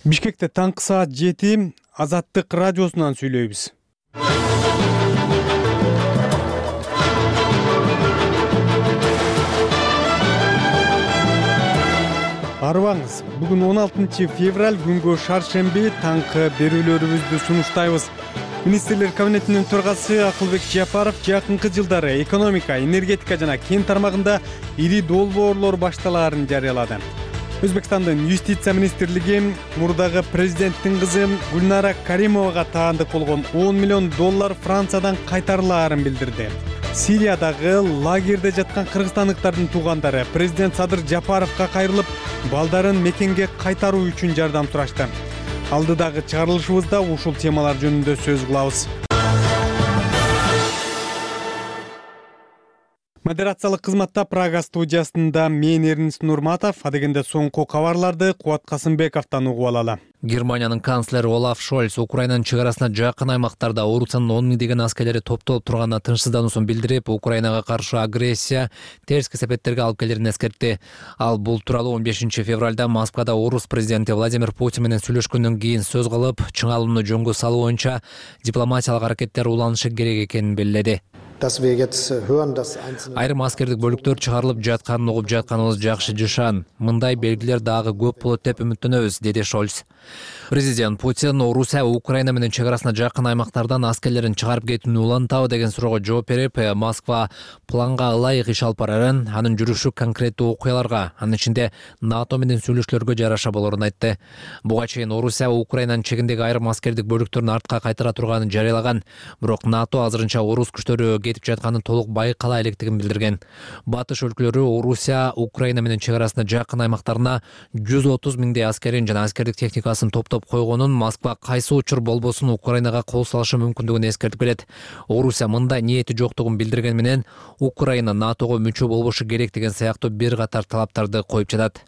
Бишкекте таңкы саат 7 Азаттык радиосунан сүйлөйбүз. Арыбаңыз, бүгүн 16 февраль күнгө шаршемби таңкы берүүлөрүбүздү сунуштайбыз. Министрлер кабинетинин төрагасы Акылбек Жапаров жакынкы жылдары экономика, энергетика жана кен тармагында ири долбоорлор башталаарын жарыялады. Өзбекстандын юстиция министрлиги мурдагы президенттин кызы Гүлнара Каримовага таандык болгон $10 миллион Франциядан кайтарылаарын билдирди. Сириядагы лагерде жаткан кыргызстандыктардын туугандары президент Садыр Жапаровго кайрылып, балдарын мекенге кайтаруу үчүн жардам сурашты. Алдыдагы чыгарылышыбызда ушул темалар жөнүндө сөз кылабыз. Модерациялык кызматта Прага студиясында мен Эрнис Нурматов, адегенде соңку кабарларды Кубат Касымбековдон угуп алалы. Германиянын канцлери Олаф Шольц Украинанын чек арасына жакын аймактарда Орусиянын 10 миңдеген аскерлери топтолуп турганына тынчсыздануусун билдирип, Украинага каршы агрессия терс кесепеттерге алып келерин эскертти. Ал бул тууралуу 15 февралда Москвада Орус президенти Владимир Путин менен сүйлөшкөндөн кийин сөз кылып, чыңалууну жөнгө салуу боюнча дипломатиялык аракеттер уланышы керек экенин белгиледи. Айрым аскердик бөлүктөр чыгарылып жатканын угуп жатканыбыз жакшы жышан. Мындай белгилер дагы көп болот деп үмүттөнөбүз, деди Шольц. Президент Путин Орусия Украина менен чек арасына жакын аймактардан аскерлерин чыгарып кетүүнү улантабы деген суроого жооп берип, Москва планга ылайык иш алып барарын, анын жүрүшү конкреттүү окуяларга, анын ичинде НАТО менен сүйлөшүүлөргө жараша болорун айтты. Буга чейин Орусия Украинанын чегиндеги айрым аскердик бөлүктөрүн артка кайтара турганын жарыялаган, бирок НАТО азырынча орус күчтөрү кетип жатканын толук байкала электигин билдирген. Батыш өлкөлөрү Орусия Украина менен чек арасына жакын аймактарына 130 миңдей аскерин жана аскердик техникасын топтоп койгонун, Москва кайсы учур болбосун Украинага кол салышы мүмкүндүгүн эскертип келет. Орусия мындай ниети жоктугун билдирген менен Украина НАТОго мүчө болбошу керек деген сыяктуу бир катар талаптарды коюп жатат.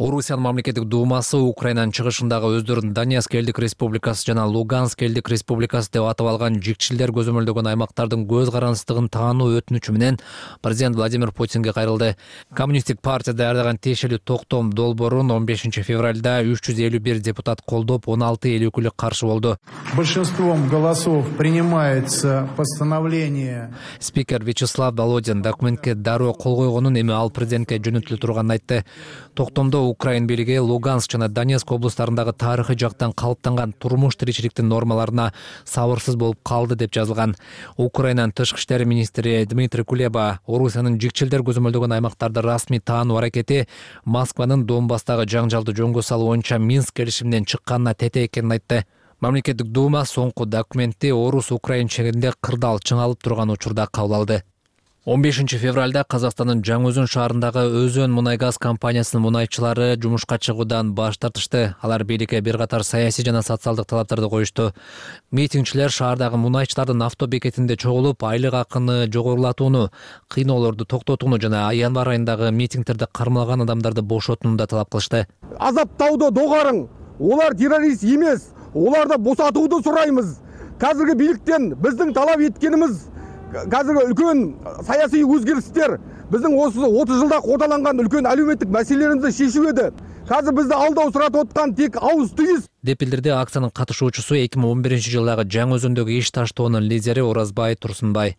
Орусиянын мамлекеттик думасы Украинанын чыгышындагы өздөрүн Донецк элдик республикасы жана Луганск элдик республикасы деп атап алган жикчилдер көзөмөлдөгөн аймактардын көз карандысыздыгын таануу өтүнүчү менен президент Владимир Путинге кайрылды. Коммунисттик партия даярдаган тиешелүү токтом долбоорун 15 февралда 351 депутат колдоп, 16 эл өкүлү каршы болду. Большинством голосов принимается постановление. Спикер Вячеслав Володин документке дароо кол койгонун, эми ал президентке жөнөтүлө турганын айтты. Токтомдо Украин бийлиги Луганск жана Донецк облустарындагы тарыхый жактан калыптанган турмуш тиричиликтин нормаларына сабырсыз болуп калды деп жазылган. Украинанын тышкы иштер министри Дмитрий Кулеба Орусиянын жикчилдер көзөмөлдөгөн аймактарды расмий таануу аракети Москванын Донбасстагы жаңжалды жөнгө салуу боюнча Минск келишиминен чыкканына тете экенин айтты. Мамлекеттик дума соңку документти Орус-Украин чегинде кырдаал чыңалып турган учурда кабыл алды. 15 февралда Казакстандын Жаңы-Өзөн шаарындагы Өзөн мунай-газ компаниясынын мунайчылары жумушка чыгуудан баш тартышты. Алар бийликке бир катар саясий жана социалдык талаптарды коюшту. Митингчилер шаардагы мунайчылардын авто бекетинде чогулуп, айлык акыны жогорулатууну, кыйноолорду токтотууну жана январь айындагы митингтерде кармалган адамдарды бошотууну да талап кылышты. Азаптауду догарың. Олар террорист эмес. Оларды босатууду сурайбыз. Казыркы бийликтен биздин талап эткенибиз қазіргі үлкен саяси өзгерістер біздің осы 30 жылда қордаланған үлкен әлеуметтік мәселелерімізді шешу еді. Қазір бізді алдау сұратып отқан тек ауыз түйіс. Деп билдирди акциянын катышуучусу 2011 жылдагы Жаңы-Өзөндөгү иш таштоонун лидери Оразбай Турсунбай.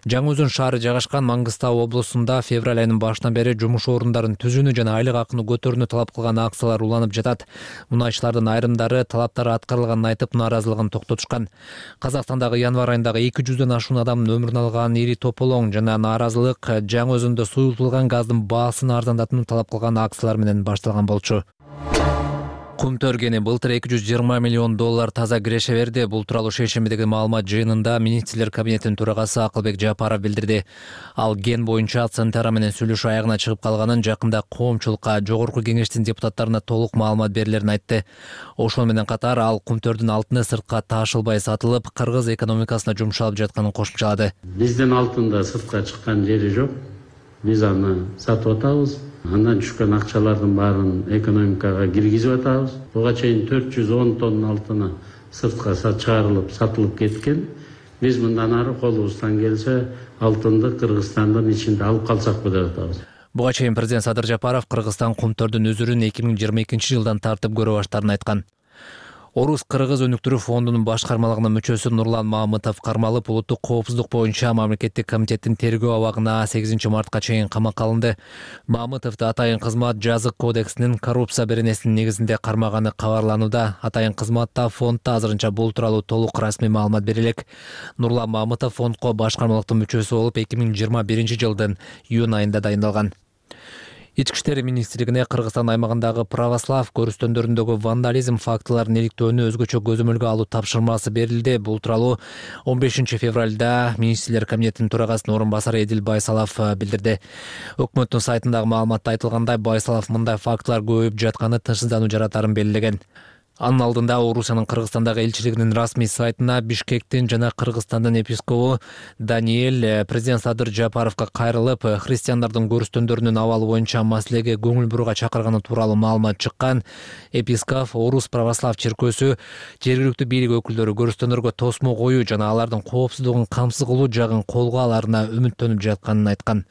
Жаңы-Өзөн шаары жайгашкан Маңгыстау облусунда февраль айынын башынан бери жумуш орундарын түзүүнү жана айлык акыны көтөрүүнү талап кылган акциялар уланып жатат. Мунайчылардын айрымдары талаптары аткарылганын айтып, нааразылыгын токтотушкан. Казакстандагы январь айындагы 200дөн ашуун адамдын өмүрүн алган ири тополоң жана нааразылык Жаңы-Өзөндө суюлтулган газдын баасын арзандатууну талап кылган акциялар менен башталган болчу. Кум төргени былтыр $220 миллион таза киреше берди. Бул тууралуу шейшембидеги маалымат жыйынында министрлер кабинетинин төрагасы Акылбек Жапаров билдирди. Ал ген боюнча Центара менен сүйлөшүү аягына чыгып калганын, жакында коомчулукка жогорку кеңештин депутаттарына толук маалымат берилерин айтты. Ошол менен катар ал кумтөрдүн алтыны сыртка таашылбай сатылып, кыргыз экономикасына жумшалып жатканын кошумчалады. Биздин алтында сыртка чыккан жери жок. Биз аны сатып атабыз. Андан түшкөн акчалардын баарын экономикага киргизип атабыз. Буга чейин 410 тонна алтыны сыртка чыгарылып, сатылып кеткен. Биз мындан ары колубуздан келсе алтынды Кыргызстандын ичинде алып калсакпы деп атабыз. Буга чейин президент Садыр Жапаров Кыргызстан кумтөрдүн өзүрүн 2022 жылдан тартып көрө баштаарын айткан. Орус Кыргыз өнүктүрүү фондунун башкармалыгынын мүчөсү Нурлан Мамытов кармалып, улуттук коопсуздук боюнча мамлекеттик комитеттин тергөө абагына 8 мартка чейин камакка алынды. Мамытовду атайын кызмат жазык кодексинин коррупция беренесинин негизинде кармаганы кабарланууда. Атайын кызматта фондда азырынча бул тууралуу толук расмий маалымат берилек. Нурлан Мамытов фондко башкармалыктын мүчөсү болуп 2021 жылдын июнь айында дайындалган. Ички иштер министрлигине Кыргызстан аймагындагы православ көрүстөндөрүндөгү вандализм фактыларын иликтөөнү өзгөчө көзөмөлгө алуу тапшырмасы берилди. Бул тууралуу 15 февралда министрлер кабинетинин төрагасынын орун басары Эдил Байсалов билдирди. Өкмөттүн сайтындагы маалыматта айтылгандай, Байсалов мындай фактылар көбөйүп жатканы тынчсыздануу жаратарын белгилеген. Анын алдында Орусиянын Кыргызстандагы элчилигинин расмий сайтына Бишкектин жана Кыргызстандын епископу Даниэль президент Садыр Жапаровго кайрылып, христиандардын көрүстөндөрүнүн абалы боюнча маселеге көңүл буруга чакырганы тууралуу маалымат чыккан. Епископ Орус православ чиркөөсү жергиликтүү бийлик өкүлдөрү көрүстөндөргө тосмо коюу жана алардын коопсуздугун камсыз кылуу жагын колго алаарына үмүттөнүп жатканын айткан.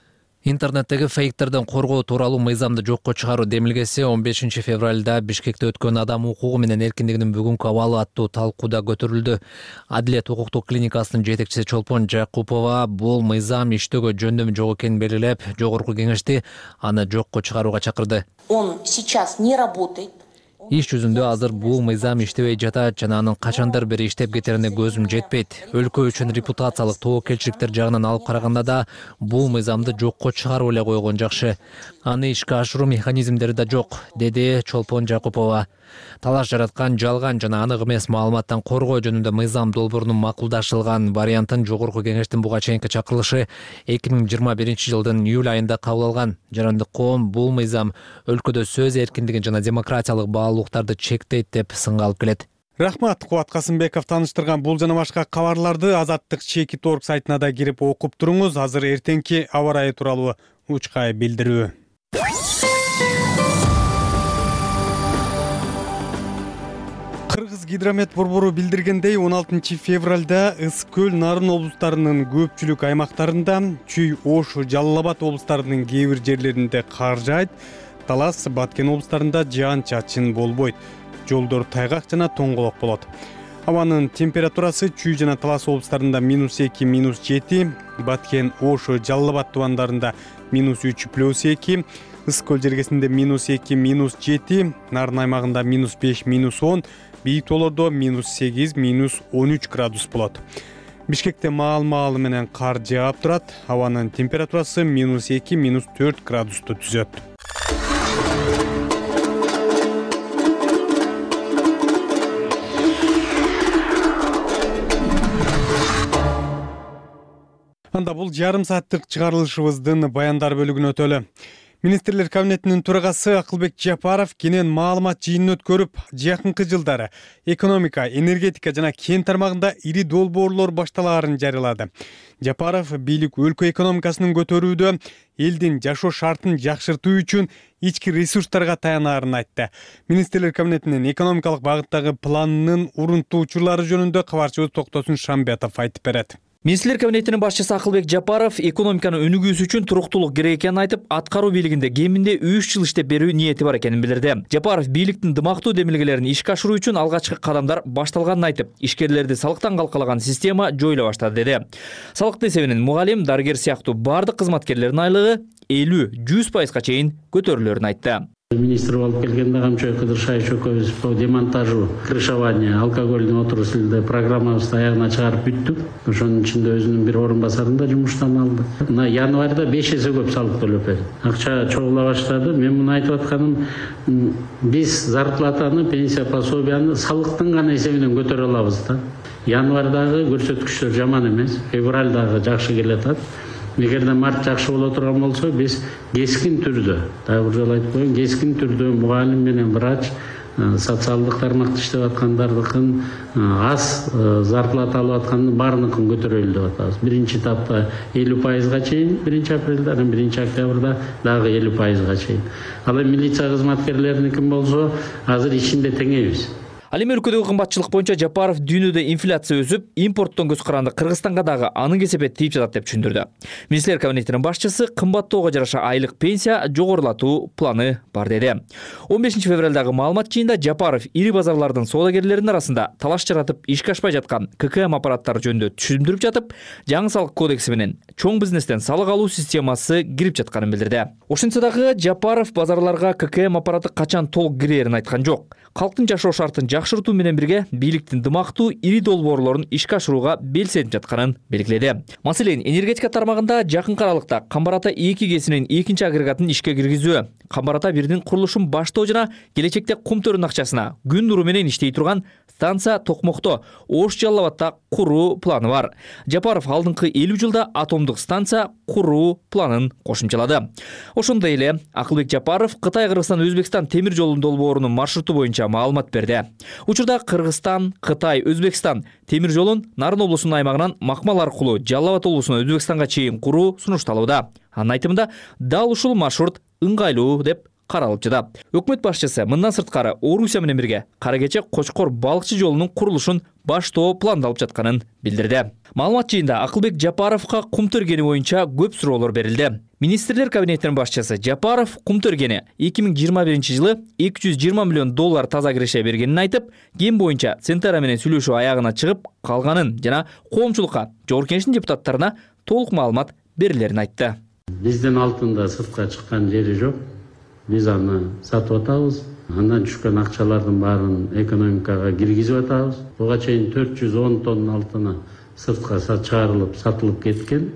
Интернеттеги фейктерден коргоо тууралуу мыйзамды жокко чыгаруу демилгеси 15 февралда Бишкекте өткөн адам укугу менен эркиндигинин бүгүнкү абалы аттуу талкууда көтөрүлдү. Адилет укуктук клиникасынын жетекчиси Чолпон Жакупова бул мыйзам иштөөгө жөндөмү жок экенин белгилеп, жогорку кеңешти аны жокко чыгарууга чакырды. Он сейчас не работает. Иш жүзүндө азыр бул мыйзам иштебей жатат жана анын качандар бери иштеп кетерине көзүм жетпейт. Өлкө үчүн репутациялык тобокелчиликтер жагынан алып караганда да бул мыйзамды жокко чыгарып эле койгон жакшы. Аны ишке ашыруу механизмдери да жок, деди Чолпон Жакупова. Талаш жараткан жалган жана анык эмес маалыматтан коргоо жөнүндө мыйзам долбоорунун макулдашылган вариантын жогорку кеңештин буга чейинки чакырылышы 2021 жылдын июль айында кабыл алган. Жарандык коом бул мыйзам өлкөдө сөз эркиндигин жана демократиялык баалуулуктарды чектейт деп сынга алып келет. Рахмат, Кубат Касымбеков таныштырган бул жана башка кабарларды Азаттык ЧК.org сайтына да кирип окуп туруңуз. Азыр эртеңки аба ырайы тууралуу учкай билдирүү. Кыргыз гидромет борбору билдиргендей, 16 февралда Ысык көл, Нарын облустарынын көпчүлүк аймактарында, Чүй, Ош, Жалал Абад облустарынын кээ бир жерлеринде кар жаайт. Талас, Баткен облустарында жаан-чачын болбойт. Жолдор тайгак жана тоңголок болот. Абанын температурасы Чүй жана Талас облустарында -2, -7, Баткен, Ош, Жалал Абад тубандарында -3, +2, Ысык көл жергесинде -2, -7, Нарын аймагында -5, -10, бийик тоолордо -8, -13 градус болот. Бишкекте маал-маалы менен кар жаап турат. Абанын температурасы -2, -4 градусту түзөт. Анда бул жарым сааттык чыгарылышыбыздын баяндар бөлүгүнө өтөлү. Министрлер кабинетинин төрагасы Акылбек Жапаров кенен маалымат жыйынын өткөрүп, жакынкы жылдары экономика, энергетика жана кен тармагында ири долбоорлор башталаарын жарыялады. Жапаров бийлик өлкө экономикасынын көтөрүүдө элдин жашоо шартын жакшыртуу үчүн ички ресурстарга таянаарын айтты. Министрлер кабинетинин экономикалык багыттагы планынын урунтуу учурлары жөнүндө кабарчыбыз Токтосун Шамбетов айтып берет. Министрлер кабинетинин башчысы Акылбек Жапаров экономиканы өнүгүүсү үчүн туруктуулук керек экенин айтып, аткаруу бийлигинде кеминде 3 жыл иштеп берүү ниети бар экенин билдирди. Жапаров бийликтин дымактуу демилгелерин ишке ашыруу үчүн алгачкы кадамдар башталганын айтып, ишкерлерди салыктан калкалаган система жоюла баштады деди. Салыктын эсебинен мугалим, дарыгер сыяктуу бардык кызматкерлердин айлыгы 50-100% чейин көтөрүлөрүн айтты. Министр болуп келгенде Камчой Кыдыршаевич экөөбүз по демонтажу, крышевания, алкогольный отрасльде программабызды аягына чыгарып бүттүк. Ошонун ичинде өзүнүн бир орун басарын да жумуштан алды. Мына январда 5 эсе көп салык төлөп берди. Акча чогула баштады. Мен муну айтып атканым, биз зарплатаны, пенсия пособияны салыктын гана эсебинен көтөрө алабыз да. Январдагы көрсөткүчтөр жаман эмес, февралдагы жакшы келатат. Эгерде март жакшы боло турган болсо, биз кескин түрдө, дагы бир жолу айтып коеюн, кескин түрдө мугалим менен врач, социалдык тармакта иштеп аткандардыкын аз зарплата алып аткандын баарыныкын көтөрөлү деп атабыз. Биринчи этапта 50%га чейин, 1-апрелде, анан 1-октябрда дагы 50%га чейин. Ал эми милиция кызматкерлериники болсо, азыр ичинде теңейбиз. Ал эми өлкөдөгү кымбатчылык боюнча Жапаров дүйнөдө инфляция өсүп, импорттон көз каранды Кыргызстанга дагы анын кесепети тийип жатат деп түшүндүрдү. Министрлер кабинетинин башчысы кымбаттоого жараша айлык пенсия жогорулатуу планы бар деди. 15 февралдагы маалымат жыйында Жапаров ири базарлардын соодагерлеринин арасында талаш жаратып ишке ашпай жаткан ККМ аппараттары жөнүндө түшүндүрүп жатып, жаңы салык кодекси менен чоң бизнестен салык алуу системасы кирип жатканын билдирди. Ошентсе дагы Жапаров базарларга ККМ аппараты качан толук кирерин айткан жок. Калктын жашоо шартын жакшыртуу менен бирге бийликтин дымактуу ири долбоорлорун ишке ашырууга белсенип жатканын белгиледи. Маселен, энергетика тармагында жакынкы аралыкта Камбар ата 2 кесинин 2 агрегатын ишке киргизүү, Камбар ата 1дин курулушун баштоо жана келечекте кум төрүнүн акчасына күн нуру менен иштей турган станция Токмокто, Ош Жалал Абадта куруу планы бар. Жапаров алдыңкы 50 жылда атомдук станция куруу планын кошумчалады. Ошондой эле Акылбек Жапаров Кытай Кыргызстан Өзбекстан темир жолунун долбоорунун маршруту боюнча маалымат берди. Учурда Кыргызстан, Кытай, Өзбекстан темир жолун Нарын облусунун аймагынан Макмал аркылуу Жалал Абад облусуна Өзбекстанга чейин куруу сунушталууда. Анын айтымында дал ушул маршрут ыңгайлуу деп каралып жатат. Өкмөт башчысы мындан сырткары Орусия менен бирге Кара Кече Кочкор балыкчы жолунун курулушун баштоо пландалып жатканын билдирди. Маалымат жыйында Акылбек Жапаровго кум тергени боюнча көп суроолор берилди. Министрлер кабинетинин башчысы Жапаров кум тергени 2021-жылы $220 миллион таза киреше бергенин айтып, ген боюнча Центара менен сүйлөшүү аягына чыгып калганын жана коомчулукка Жогорку Кеңештин депутаттарына толук маалымат берилерин айтты. Биздин алтында сыртка чыккан жери жок. Биз аны сатып атабыз. Андан түшкөн акчалардын баарын экономикага киргизип атабыз. Буга чейин 410 тонна алтыны сыртка чыгарылып, сатылып кеткен.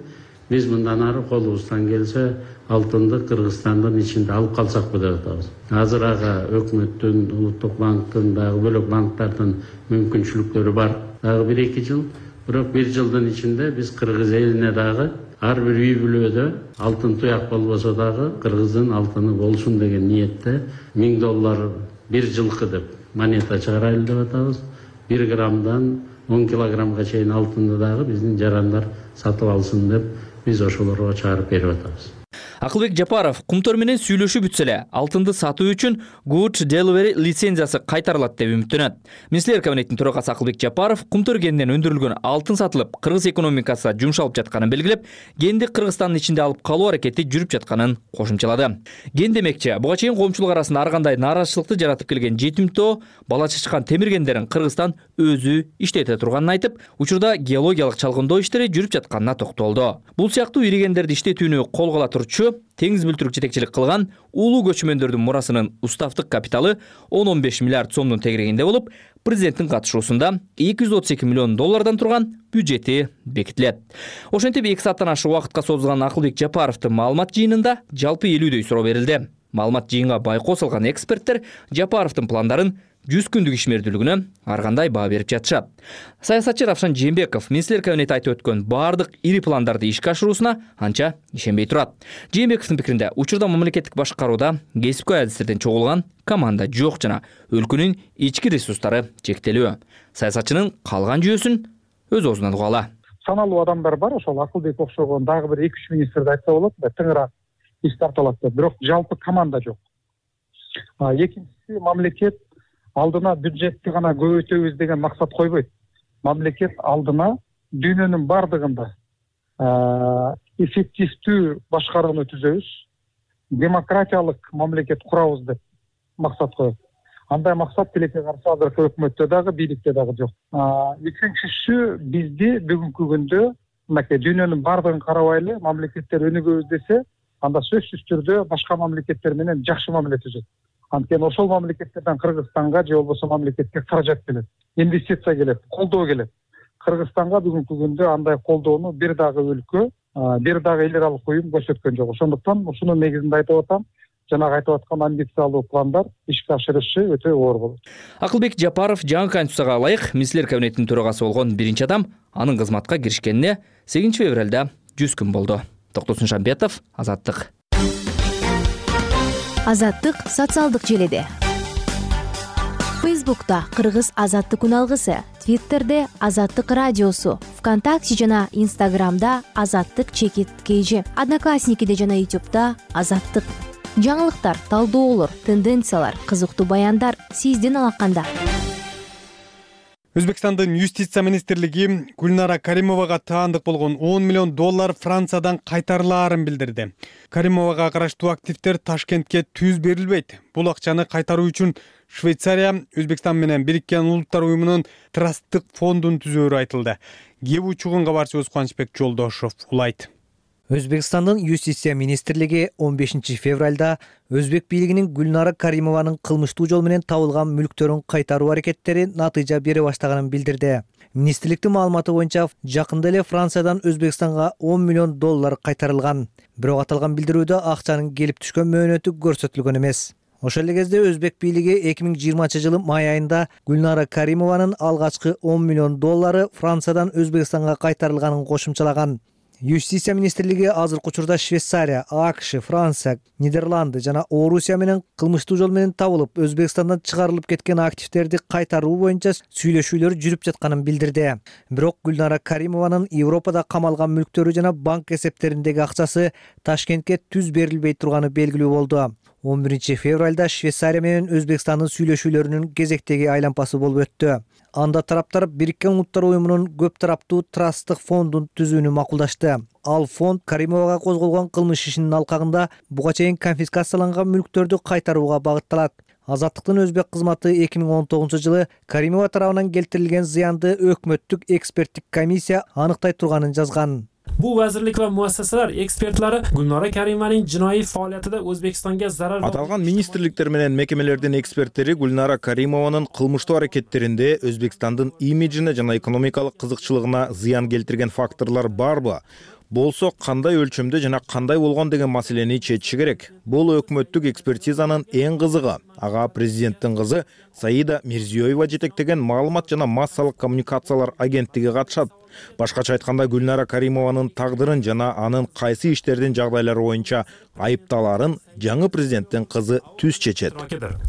Биз мындан ары колубуздан келсе алтынды Кыргызстандын ичинде алып калсакпы деп атабыз. Азыр ага өкмөттүн, Улуттук банктын, дагы бөлөк банктардын мүмкүнчүлүктөрү бар. Дагы 1-2 жыл, бирок 1 жылдын ичинде биз Кыргыз элине дагы ар бир үй бүлөдө алтын туяк болбосо дагы Кыргыздын алтыны болсун деген ниетте $1000 1 жылкы деп монета чыгарайлы деп атабыз. 1 граммдан 10 килограммга чейин алтынды дагы биздин жарандар сатып алсын деп биз ошолорго чыгарып берип атабыз. Акылбек Жапаров кумтөр менен сүйлөшүү бүтсө эле алтынды сатуу үчүн Good Delivery лицензиясы кайтарылат деп үмүттөнөт. Министрлер кабинетинин төрагасы Акылбек Жапаров кумтөр генден өндүрүлгөн алтын сатылып, Кыргыз экономикасына жумшалып жатканын белгилеп, генди Кыргызстандын ичинде алып калуу аракети жүрүп жатканын кошумчалады. Ген демекчи, буга чейин коомчулук арасында ар кандай нааразычылыкты жаратып келген жетимтоо, бала чачкан темир гендерин Кыргызстан өзү иштете турганын айтып, учурда геологиялык чалгындоо иштери жүрүп жатканына токтолду. Бул сыяктуу ири гендерди иштетүүнү кол кыла турчу теңиз бүлтүрүк жетекчилик кылган улуу көчмөндөрдүн мурасынын уставдык капиталы 10-15 миллиард сомдун тегерегинде болуп, президенттин катышуусунда $232 миллион турган бюджети бекитилет. Ошентип 2 сааттан ашык убакытка созулган Акылбек Жапаровдун маалымат жыйынында жалпы 50дөй суроо берилди. Маалымат жыйынга байкоо салган эксперттер Жапаровдун пландарын 100 күндүк ишмердүүлүгүнө ар кандай баа берип жатышат. Саясатчы Равшан Жээнбеков министрлер кабинети айтып өткөн баардык ири пландарды ишке ашыруусуна анча ишенбей турат. Жээнбековдун пикиринде, учурда мамлекеттик башкарууда кесипкөй адистерден чогулган команда жок жана өлкөнүн ички ресурстары чектелүү. Саясатчынын калган жүйөсүн өз оозунан угалы. Саналуу адамдар бар, ошол Акылбек окшогон дагы бир 2-3 министрди айтса болот, тыңыраак иш тартылат деп, бирок жалпы команда жок. Экинчиси, мамлекет алдына бюджетти гана көбөйтөбүз деген максат койбойт. Мамлекет алдына дүйнөнүн бардыгында эффективдүү башкарууну түзөбүз, демократиялык мамлекет курабыз деп максат коет. Андай максат тилекке каршы азыркы өкмөттө дагы, бийликте дагы жок. Үчүнчүсү, бизди бүгүнкү күндө мынакей дүйнөнүн бардыгын карабайлы мамлекеттер өнүгөбүз десе, анда сөзсүз түрдө башка мамлекеттер менен жакшы мамиле түзөт. Анткени ошол мамлекеттерден Кыргызстанга же болбосо мамлекетке каражат келет, инвестиция келет, колдоо келет. Кыргызстанга бүгүнкү күндө андай колдоону бир дагы өлкө, бир дагы эл аралык уюм көрсөткөн жок. Ошондуктан ушунун негизинде айтып атам, жанагы айтып аткан амбициялуу пландар ишке ашырышы өтө оор болот. Акылбек Жапаров жаңы конституцияга ылайык министрлер кабинетинин төрагасы болгон биринчи адам, анын кызматка киришкенине 8 февралда 100 күн болду. Токтосун Шамбетов, Азаттык. Азаттык социалдык желеде. Фейсбукта Кыргыз Азаттык күн алгысы, Твиттерде Азаттык радиосу, ВКонтакте жана Инстаграмда Азаттык _KG, Одноклассникиде жана Ютубта Азаттык. Жаңылыктар, талдоолор, тенденциялар, кызыктуу баяндар сиздин алаканда. Өзбекстандын юстиция министрлиги Гүлнара Каримовага таандык болгон $10 миллион Франциядан кайтарылаарын билдирди. Каримовага караштуу активдер Ташкентке түз берилбейт. Бул акчаны кайтаруу үчүн Швейцария Өзбекстан менен Бириккен Улуттар уюмунун трасттык фондун түзөөрү айтылды. Кеп учугун кабарчыбыз Кубанычбек Жолдошов улайт. Өзбекстандын юстиция министрлиги 15 февралда Өзбек бийлигинин Гүлнара Каримованын кылмыштуу жол менен табылган мүлктөрүн кайтаруу аракеттери натыйжа бере баштаганын билдирди. Министрликтин маалыматы боюнча жакында эле Франциядан Өзбекстанга $10 миллион кайтарылган. Бирок аталган билдирүүдө акчанын келип түшкөн мөөнөтү көрсөтүлгөн эмес. Ошол эле кезде Өзбек бийлиги 2020 жылы май айында Гүлнара Каримованын алгачкы $10 миллион Франциядан Өзбекстанга кайтарылганын кошумчалаган. Юстиция министрлиги азыркы учурда Швейцария, АКШ, Франция, Нидерланды жана Орусия менен кылмыштуу жол менен табылып, Өзбекстандан чыгарылып кеткен активдерди кайтаруу боюнча сүйлөшүүлөр жүрүп жатканын билдирди. Бирок Гүлнара Каримованын Европада камалган мүлктөрү жана банк эсептериндеги акчасы Ташкентке түз берилбей турганы белгилүү болду. 11 февралда Швейцария менен Өзбекстандын сүйлөшүүлөрүнүн кезектеги айлампасы болуп өттү. Анда тараптар Бириккен Улуттар уюмунун көп тараптуу трасттык фондун түзүүнү макулдашты. Ал фонд Каримовага козголгон кылмыш ишинин алкагында буга чейин конфискацияланган мүлктөрдү кайтарууга багытталат. Азаттыктын өзбек кызматы 2019 жылы Каримова тарабынан келтирилген зыянды өкмөттүк эксперттик комиссия аныктай турганын жазган. Bu vazirlik va muassasalar ekspertlari Gulnora Karimovaning jinoiy faoliyatida O'zbekistonga zarar Аталган министрликтер менен мекемелердин эксперттери Гүлнара Каримованын кылмыштуу аракеттеринде Өзбекстандын имиджине жана экономикалык кызыкчылыгына зыян келтирген факторлор барбы? Болсо кандай өлчөмдө жана кандай болгон деген маселени чечиши керек. Бул өкмөттүк экспертизанын эң кызыгы. Ага президенттин кызы Саида Мирзиёева жетектеген маалымат жана массалык коммуникациялар агенттиги катышат. Башкача айтканда Гүлнара Каримованын тагдырын жана анын кайсы иштердин жагдайлары боюнча айыпталарын жаңы президенттин кызы түз чечет.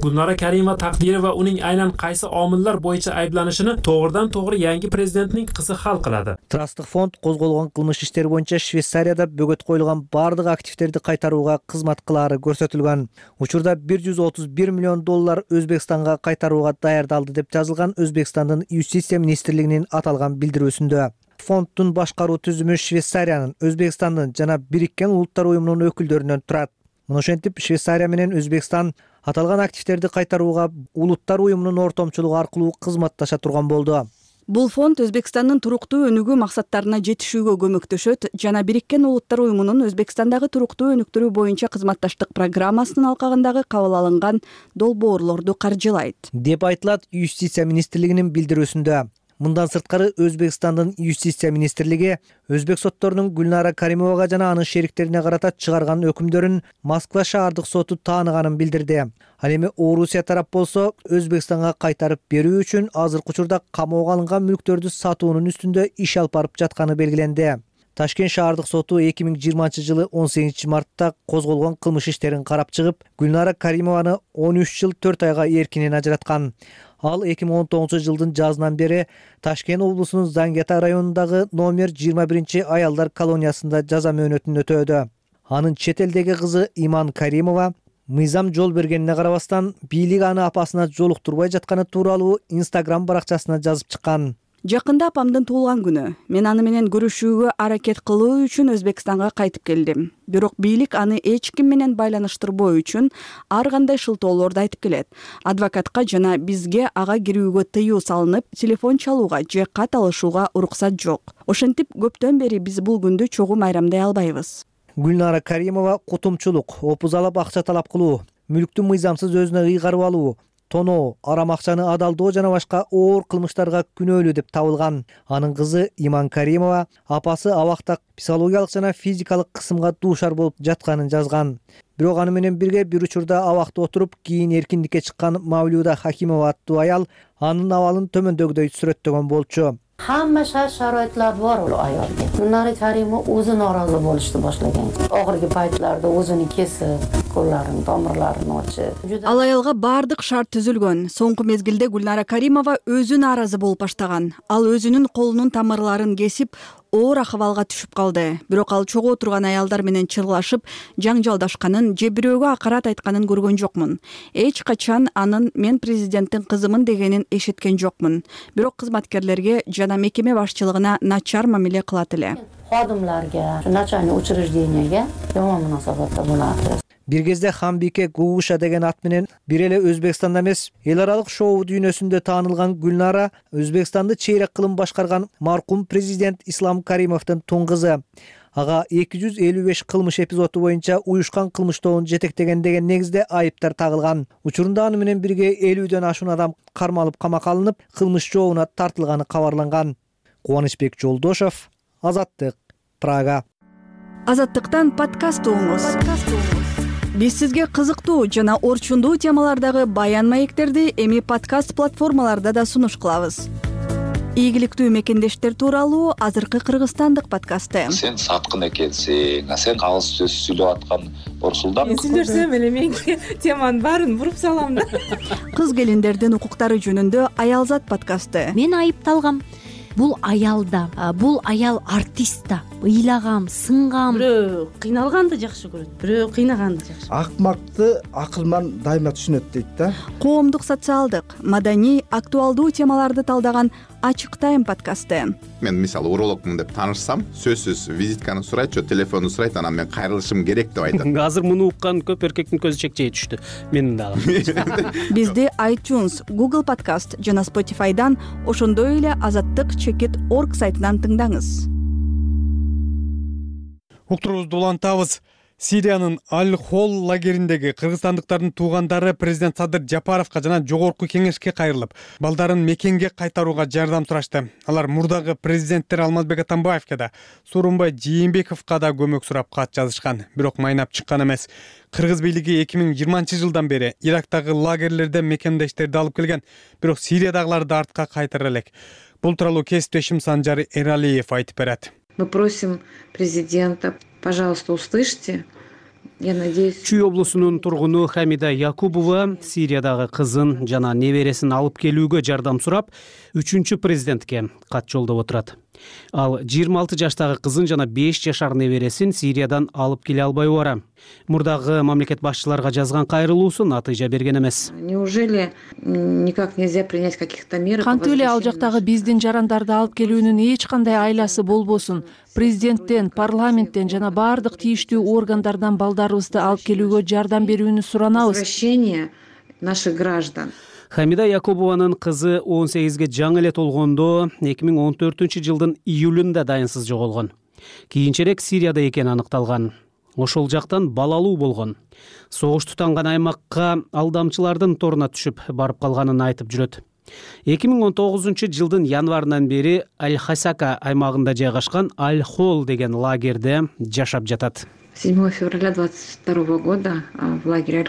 Gulnora Karimova taqdiri va uning aynan qaysi omillar bo'yicha ayblanishini to'g'ridan-to'g'ri yangi prezidentning qizi hal qiladi. Трасттык фонд козголгон кылмыш иштери боюнча Швейцарияда бөгөт коюлган бардык активдерди кайтарууга кызмат кылаары көрсөтүлгөн. Учурда $131 миллион Өзбекстанга кайтарууга даярдалды деп жазылган Өзбекстандын юстиция министрлигинин аталган билдирүүсүндө. Фонддун башкаруу түзүмү Швейцариянын, Өзбекстандын жана Бириккен Улуттар уюмунун өкүлдөрүнөн турат. Мына ошентип Швейцария менен Өзбекстан аталган активдерди кайтарууга Улуттар уюмунун ортомчулугу аркылуу кызматташа турган болду. Бул фонд Өзбекстандын туруктуу өнүгүү максаттарына жетишүүгө көмөктөшөт жана Бириккен Улуттар уюмунун Өзбекстандагы туруктуу өнүктүрүү боюнча кызматташтык программасынын алкагындагы кабыл алынган долбоорлорду каржылайт, деп айтылат юстиция министрлигинин билдирүүсүндө. Мындан сырткары Өзбекстандын юстиция министрлиги өзбек сотторунун Гүлнара Каримовага жана анын шериктерине карата чыгарган өкүмдөрүн Москва шаардык соту тааныганын билдирди. Ал эми Орусия тарап болсо Өзбекстанга кайтарып берүү үчүн азыркы учурда камоого алынган мүлктөрдү сатуунун үстүндө иш алып барып жатканы белгиленди. Ташкент шаардык соту 2020 жылы 18 мартта козголгон кылмыш иштерин карап чыгып, Гүлнара Каримованы 13 жыл 4 айга эркинен ажыраткан. Ал 2019 жылдын жазынан бери Ташкент облусунун Зангета районундагы номер 21 аялдар колониясында жаза мөөнөтүн өтөөдө. Анын чет элдеги кызы Иман Каримова мыйзам жол бергенине карабастан бийлик аны апасына жолуктурбай жатканы тууралуу Instagram баракчасына жазып чыккан. Жакында апамдын туулган күнү. Мен аны менен көрүшүүгө аракет кылуу үчүн Өзбекстанга кайтып келдим. Бирок бийлик аны эч ким менен байланыштырбоо үчүн ар кандай шылтоолорду айтып келет. Адвокатка жана бизге ага кирүүгө тыюу салынып, телефон чалууга же кат алышууга уруксат жок. Ошентип көптөн бери биз бул күндү чогуу майрамдай албайбыз. Гүлнара Каримова кутумчулук, опузалап акча талап кылуу, мүлктү мыйзамсыз өзүнө ыйгарып алуу, тоноо, арам акчаны адалдоо жана башка оор кылмыштарга күнөөлүү деп табылган. Анын кызы Иман Каримова апасы абакта психологиялык жана физикалык кысымга дуушар болуп жатканын жазган. Бирок аны менен бирге бир учурда абакта отуруп, кийин эркиндикке чыккан Мавлюда Хакимова аттуу аял анын абалын төмөндөгүдөй сүрөттөгөн болчу. Hamma sharoitlar bor u ayolga. Gulnora Karimova o'zi norozi bo'lishni boshlagan. Oxirgi paytlarda o'zini kesib, qo'llarini, tomirlarini ochib. Ал аялга баардык шарт түзүлгөн. Соңку мезгилде Гүлнара Каримова өзү нааразы болуп баштаган. Ал өзүнүн колунун тамырларын кесип, оор акыбалга түшүп калды. Бирок ал чогуу турган аялдар менен чырлашып, жаңжалдашканын же бирөөгө акарат айтканын көргөн жокмун. Эч качан анын "мен президенттин кызымын" дегенин эшиткен жокмун. Бирок кызматкерлерге жана мекеме башчылыгына начар мамиле кылат эле. Xodimlarga, начальный учреждениеге жаман мунасабатта болот. Бир кезде Хамбике Гууша деген ат менен бир эле Өзбекстанда эмес, эл аралык шоу дүйнөсүндө таанылган Гүлнара Өзбекстанды чейрек кылым башкарган маркум президент Ислам Каримовдун тун кызы. Ага 255 кылмыш эпизоду боюнча уюшкан кылмыштоонун жетектеген деген негизде айыптар тагылган. Учурунда аны менен бирге 50дөн ашуун адам кармалып камакка алынып, кылмыш жообуна тартылганы кабарланган. Кубанычбек Жолдошов, Азаттык, Прага. Азаттыктан подкаст угуңуз. Биз сизге кызыктуу жана орчундуу темалардагы баян маектерди эми подкаст платформаларда да сунуш кылабыз. Ийгиликтүү мекендештер тууралуу азыркы кыргызстандык подкасты. Сен саткын экенсиң, сен калыс сөз сүйлөп аткан Орсулдан. Мен сүйлөсөм эле мен теманын баарын буруп салам да. Кыз келиндердин укуктары жөнүндө Аялзат подкасты. Мен айыпталгам. Бул аялда, бул аял артист да. Ыйлагам, сынгам. Бирөө кыйналганды жакшы көрөт, бирөө кыйнаганды жакшы. Акмакты акылман дайыма түшүнөт дейт да. Коомдук, социалдык, маданий, актуалдуу темаларды талдаган Ачык тайм подкасты. Мен мисалы урологмун деп таанышсам, сөзсүз визитканы сурайт, же телефонду сурайт, анан мен кайрылышым керек деп айтат. Азыр муну уккан көп эркектин көзү чекчей түштү. Менин дагы. Бизди iTunes, Google Podcast жана Spotify'дан, ошондой эле azattik.org сайтынан тыңдаңыз. Уктурубузду улантабыз. Сириянын Аль-Хол лагериндеги кыргызстандыктардын туугандары президент Садыр Жапаровго жана жогорку кеңешке кайрылып, балдарын мекенге кайтарууга жардам сурашты. Алар мурдагы президенттер Алмазбек Атамбаевге да, Сооронбай Жээнбековго да көмөк сурап кат жазышкан, бирок майнап чыккан эмес. Кыргыз бийлиги 2020-жылдан бери Ирактагы лагерлерден мекендештерди алып келген, бирок Сириядагыларды артка кайтара элек. Бул тууралуу кесиптешим Санжар Эралиев айтып берет. Мы просим президента, пожалуйста, услышьте. Я надеюсь. Чүй облусунун тургуну Хамида Якубова Сириядагы кызын жана небересин алып келүүгө жардам сурап, 3-чү президентке кат жолдоп отурат. Ал 26 жаштагы кызын жана 5 жашар небересин Сириядан алып келе албай бара. Мурдагы мамлекет башчыларга жазган кайрылуусу натыйжа берген эмес. Неужели никак нельзя принять каких-то мер? Кантип эле ал жактагы биздин жарандарды алып келүүнүн эч кандай айласы болбосун. Президенттен, парламенттен жана бардык тийиштүү органдардан балдарыбызды алып келүүгө жардам берүүнү суранабыз. Возвращение наших граждан. Хамида Якубованын кызы 18ге жаңы эле толгондо 2014-жылдын июлунда дайынсыз жоголгон. Кийинчерээк Сирияда экени аныкталган. Ошол жактан балалуу болгон. Согуш тутанган аймакка алдамчылардын торуна түшүп барып калганын айтып жүрөт. 2019-жылдын январынан бери Аль-Хасака аймагында жайгашкан Аль-Хол деген лагерде жашап жатат. 7 февраля 22 года в лагере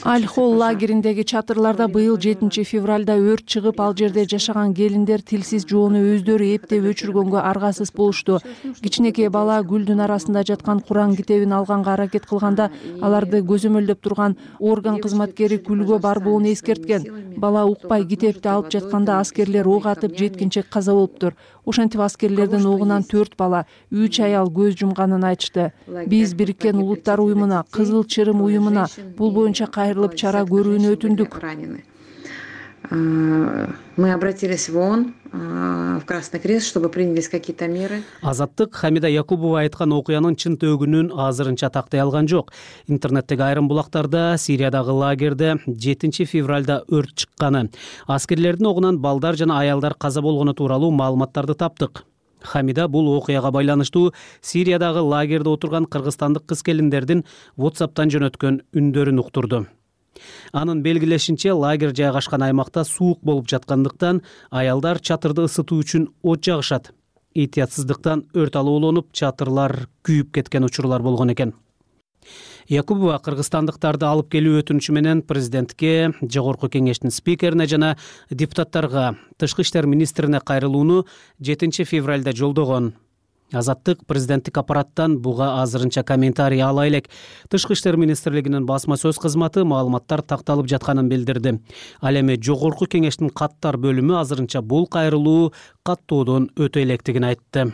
Аль-Хол лагериндеги чатырларда быйыл 7 февралда өрт чыгып, ал жерде жашаган келиндер тилсиз жоону өздөрү эптеп өчүргөнгө аргасыз болушту. Кичинекей бала гүлдүн арасында жаткан Куран китебин алганга аракет кылганда, аларды көзөмөлдөп турган орган кызматкери күлгө барбоон эскерткен. Бала укпай китепти алып жатканда аскерлер ок атып, жеткинчек каза болуптур. Ошентип аскерлердин огунан 4 бала, 3 аял көз жумганын айтышты. Биз Бириккен Улуттар уюмуна, Кызыл Чырым уюмуна бул боюнча кайрылып чара көрүүнү өтүндүк. Мы обратились в ООН, в Красный Крест, чтобы принялись какие-то меры. Азаттык Хамида Якубова айткан окуянын чын төгүнүн азырынча тактай алган жок. Интернеттеги айрым булактарда Сириядагы лагерде 7 февралда өрт чыкканы, аскерлердин огунан балдар жана аялдар каза болгону тууралуу маалыматтарды таптык. Хамида бул окуяга байланыштуу Сириядагы лагерде отурган кыргызстандык кыз-келиндердин WhatsApp'тан жөнөткөн үндөрүн уктурду. Анын белгилешинче, лагерь жайгашкан аймакта суук болуп жаткандыктан аялдар чатырды ысытуу үчүн от жагышат. Этиятсыздыктан өрт алууланып, чатырлар күйүп кеткен учурлар болгон экен. Якубова кыргызстандыктарды алып келүү өтүнүчү менен президентке, жогорку кеңештин спикерине жана депутаттарга, тышкы иштер министрине кайрылууну 7 февралда жолдогон. Азаттык президенттик аппараттан буга азырынча комментарий ала элек. Тышкы иштер министрлигинин басма сөз кызматы маалыматтар такталып жатканын билдирди. Ал эми жогорку кеңештин каттар бөлүмү азырынча бул кайрылуу каттоодон өтө электигин айтты.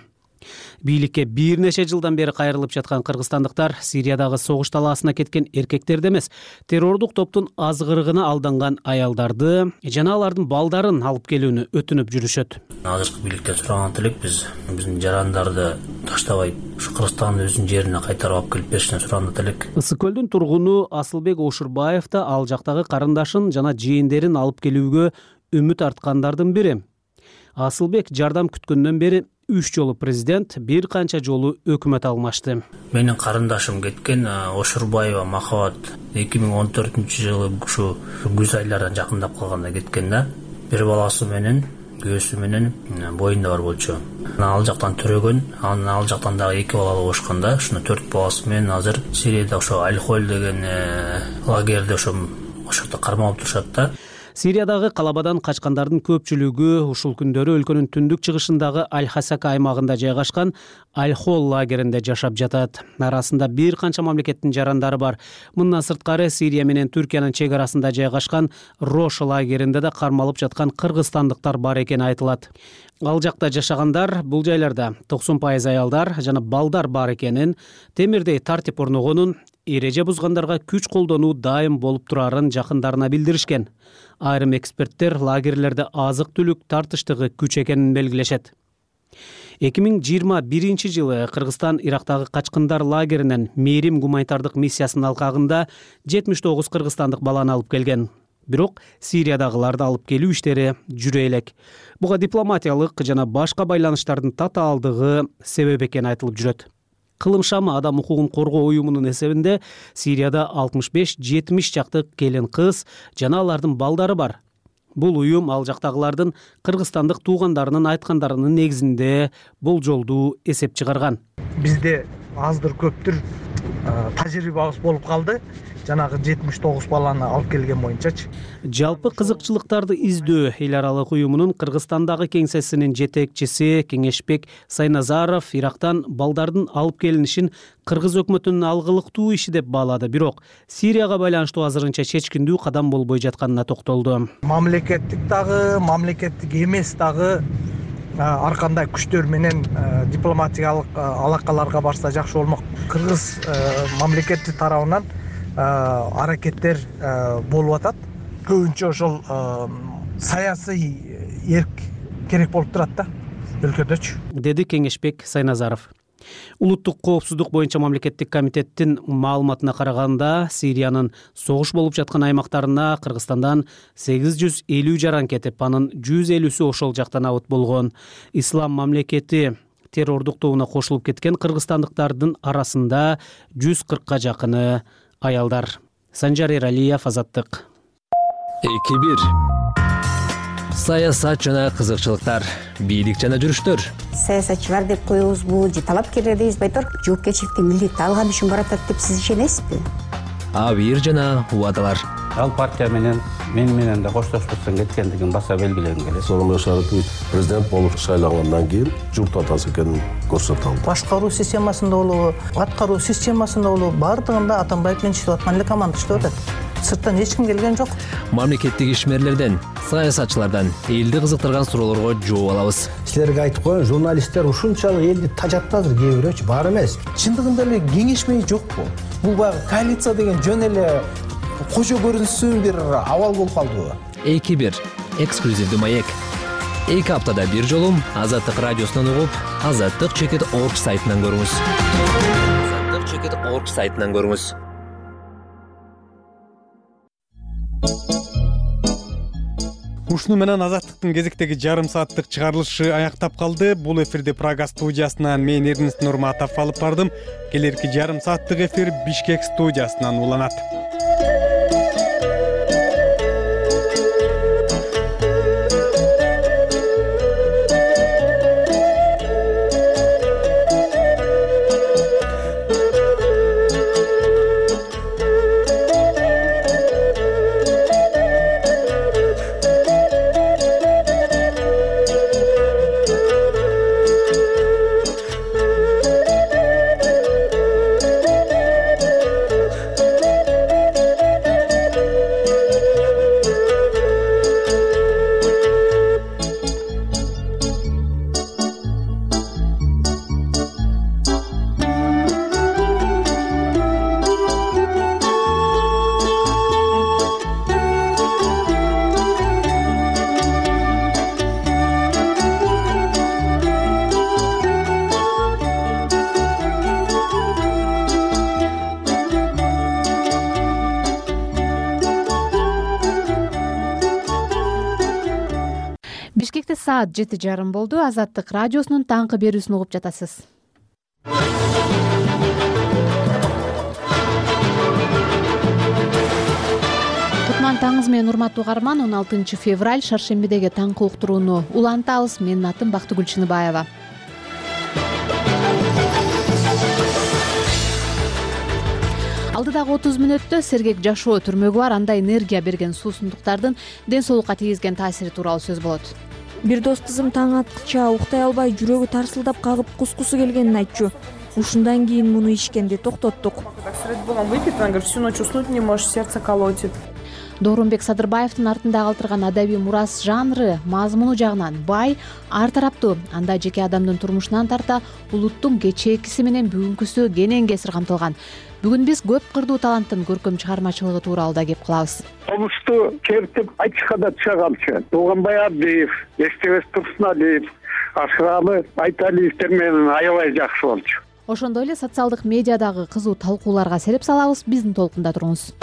Бийликке бир нече жылдан бери кайрылып жаткан кыргызстандыктар Сириядагы согуш талаасына кеткен эркектерди эмес, террордук топтун азгырыгына алданган аялдарды жана алардын балдарын алып келүүнү өтүнүп жүрүшөт. Азыркы бийликтен сураган элек биздин жарандарды таштабай ушу Кыргызстандын өзүнүн жерине кайтарып алып келип беришин сураган элек. Ысык көлдүн тургуну Асылбек Ошурбаев да ал жактагы карындашын жана жээндерин алып келүүгө үмүт арткандардын бири. Асылбек жардам күткөндөн бери 3 жолу президент, бир канча жолу өкмөт алмашты. Менин карындашым кеткен, Ошурбаева Махабат 2014-жылы ушу күз айлардан жакындап калганда кеткен да. Бир баласы менен, күйөөсү менен боюнда бар болчу. Ал жактан төрөгөн, ал жактан дагы 2 балалы болушкан да. Ушуну 4 баласы менен азыр Сирияда ошо Аль-Холь деген лагерде ошо жакта кармалып турушат да. Сириядагы калабадан качкандардын көпчүлүгү ушул күндөрү өлкөнүн түндүк чыгышындагы Аль-Хасака аймагында жайгашкан Аль-Холь лагеринде жашап жатат. Арасында бир канча мамлекеттин жарандары бар. Мындан сырткары Сирия менен Түркиянын чек арасында жайгашкан Рош лагеринде да кармалып жаткан кыргызстандыктар бар экени айтылат. Ал жакта жашагандар бул жайларда 90% аялдар жана балдар бар экенин, темирдей тартип орногонун, эреже бузгандарга күч колдонуу дайым болуп турарын жакындарына билдиришкен. Айрым эксперттер лагерлерде азык-түлүк тартыштыгы күч экенин белгилешет. 2021 жылы Кыргызстан Ирактагы качкындар лагеринен Мээрим гуманитардык миссиясынын алкагында 79 кыргызстандык баланы алып келген. Бирок Сириядагыларды алып келүү иштери жүрө элек. Буга дипломатиялык жана башка байланыштардын татаалдыгы себеп экени айтылып жүрөт. Кылым шамы адам укугун коргоо уюмунун эсебинде Сирияда 65-70 чакты келин кыз жана алардын балдары бар. Бул уюм ал жактагылардын кыргызстандык туугандарынын айткандарынын негизинде болжолдуу эсеп чыгарган. Бизде аздыр көптүр тажрыйбабыз болуп калды. Жанагы 79 баланы алып келген боюнчачы. Жалпы кызыкчылыктарды издөө эл аралык уюмунун Кыргызстандагы кеңсесинин жетекчиси Кеңешбек Сайназаров Ирактан балдардын алып келинишин кыргыз өкмөтүнүн алгылыктуу иши деп баалады. Бирок Сирияга байланыштуу азырынча чечкиндүү кадам болбой жатканына токтолду. Мамлекеттик дагы, мамлекеттик эмес дагы ар кандай күчтөр менен дипломатиялык алакаларга барса жакшы болмок. Кыргыз мамлекети тарабынан аракеттер болуп атат. Көбүнчө ошол саясий эрк керек болуп турат да өлкөдөчү, деди Кеңешбек Сайназаров. Улуттук коопсуздук боюнча мамлекеттик комитеттин маалыматына караганда, Сириянын согуш болуп жаткан аймактарына Кыргызстандан 850 жаран кетип, анын 150сү ошол жактан абыт болгон. Ислам мамлекети террордук тобуна кошулуп кеткен кыргызстандыктардын арасында 140ка жакыны аялдар. Санжар Эралиев, Азаттык. 2-1. Саясат жана кызыкчылыктар, бийлик жана жүрүштөр. Саясатчылар деп коебузбу, же талапкерлер дейбиз, байтор жоопкерчиликти милдетти алган үчүн баратат деп сиз ишенесизби? Абийир жана убадалар. Ал партия менен менен да коштошпостон кеткендигин баса белгилегим келет. Сооронбай Шарипович президент болуп шайлангандан кийин журт атасы экенин көрсөтө алды. Башкаруу системасында болобу, аткаруу системасында болобу, бардыгында Атамбаев менен иштеп аткан эле команда иштеп атат. Сырттан эч ким келген жок. Мамлекеттик ишмерлерден, саясатчылардан элди кызыктырган суроолорго жооп алабыз. Силерге айтып коеюн, журналисттер ушунчалык элди тажатты азыр кээ бирөөчү, бар эмес. Чындыгында эле кеңешмей жокпу? Бул баягы коалиция деген жөн эле кожо көрүнсүн бир абал болуп калдыбы? 2-1. Эксклюзивдүү маек. 2 аптада бир жолу Азаттык радиосунан угуп, azattik.org сайтынан көрүңүз. azattik.org сайтынан көрүңүз. Ушуну менен Азаттыктын кезектеги жарым сааттык чыгарылышы аяктап калды. Бул эфирди Прага студиясынан мен Эрнест Нурматов алып бардым. Келерки жарым сааттык эфир Бишкек студиясынан уланат. Бишкекте саат 7:30 болду. Азаттык радиосунун таңкы берүүсүн угуп жатасыз. Кутман таңыңыз менен урматтуу угарман. 16 февраль шаршембидеги таңкы уктурууну улантабыз. Менин атым Бактыгүл Чыныбаева. Алдыдагы 30 мүнөттө сергек жашоо түрмөгү бар анда энергия берген суусундуктардын ден соолукка тийгизген таасири тууралуу сөз болот. Бир дос кызым таң аткыча уктай албай жүрөгү тарсылдап кагып кускусу келгенин айтчу. Ушундан кийин муну ичкенди токтоттук. Сред Богом выпит, он говорит, всю ночь уснуть не можешь, сердце колотит. Доорунбек Садырбаевдин артында калтырган адабий мурас жанры мазмуну жагынан бай, ар тараптуу. Анда жеке адамдын турмушунан тарта улуттун кечээкиси менен бүгүнкүсү кенен кесир камтылган. Бүгүн биз көп кырдуу таланттын көркөм чыгармачылыгы тууралуу да кеп кылабыз. Комушту чертип айтышка да чыга калчу. Тууганбай Абдиев, Эстебес Турсуналиев, Ашыралы Айталиевдер менен аябай жакшы болчу. Ошондой эле социалдык медиадагы кызуу талкууларга сереп салабыз. Биздин толкунда туруңуз.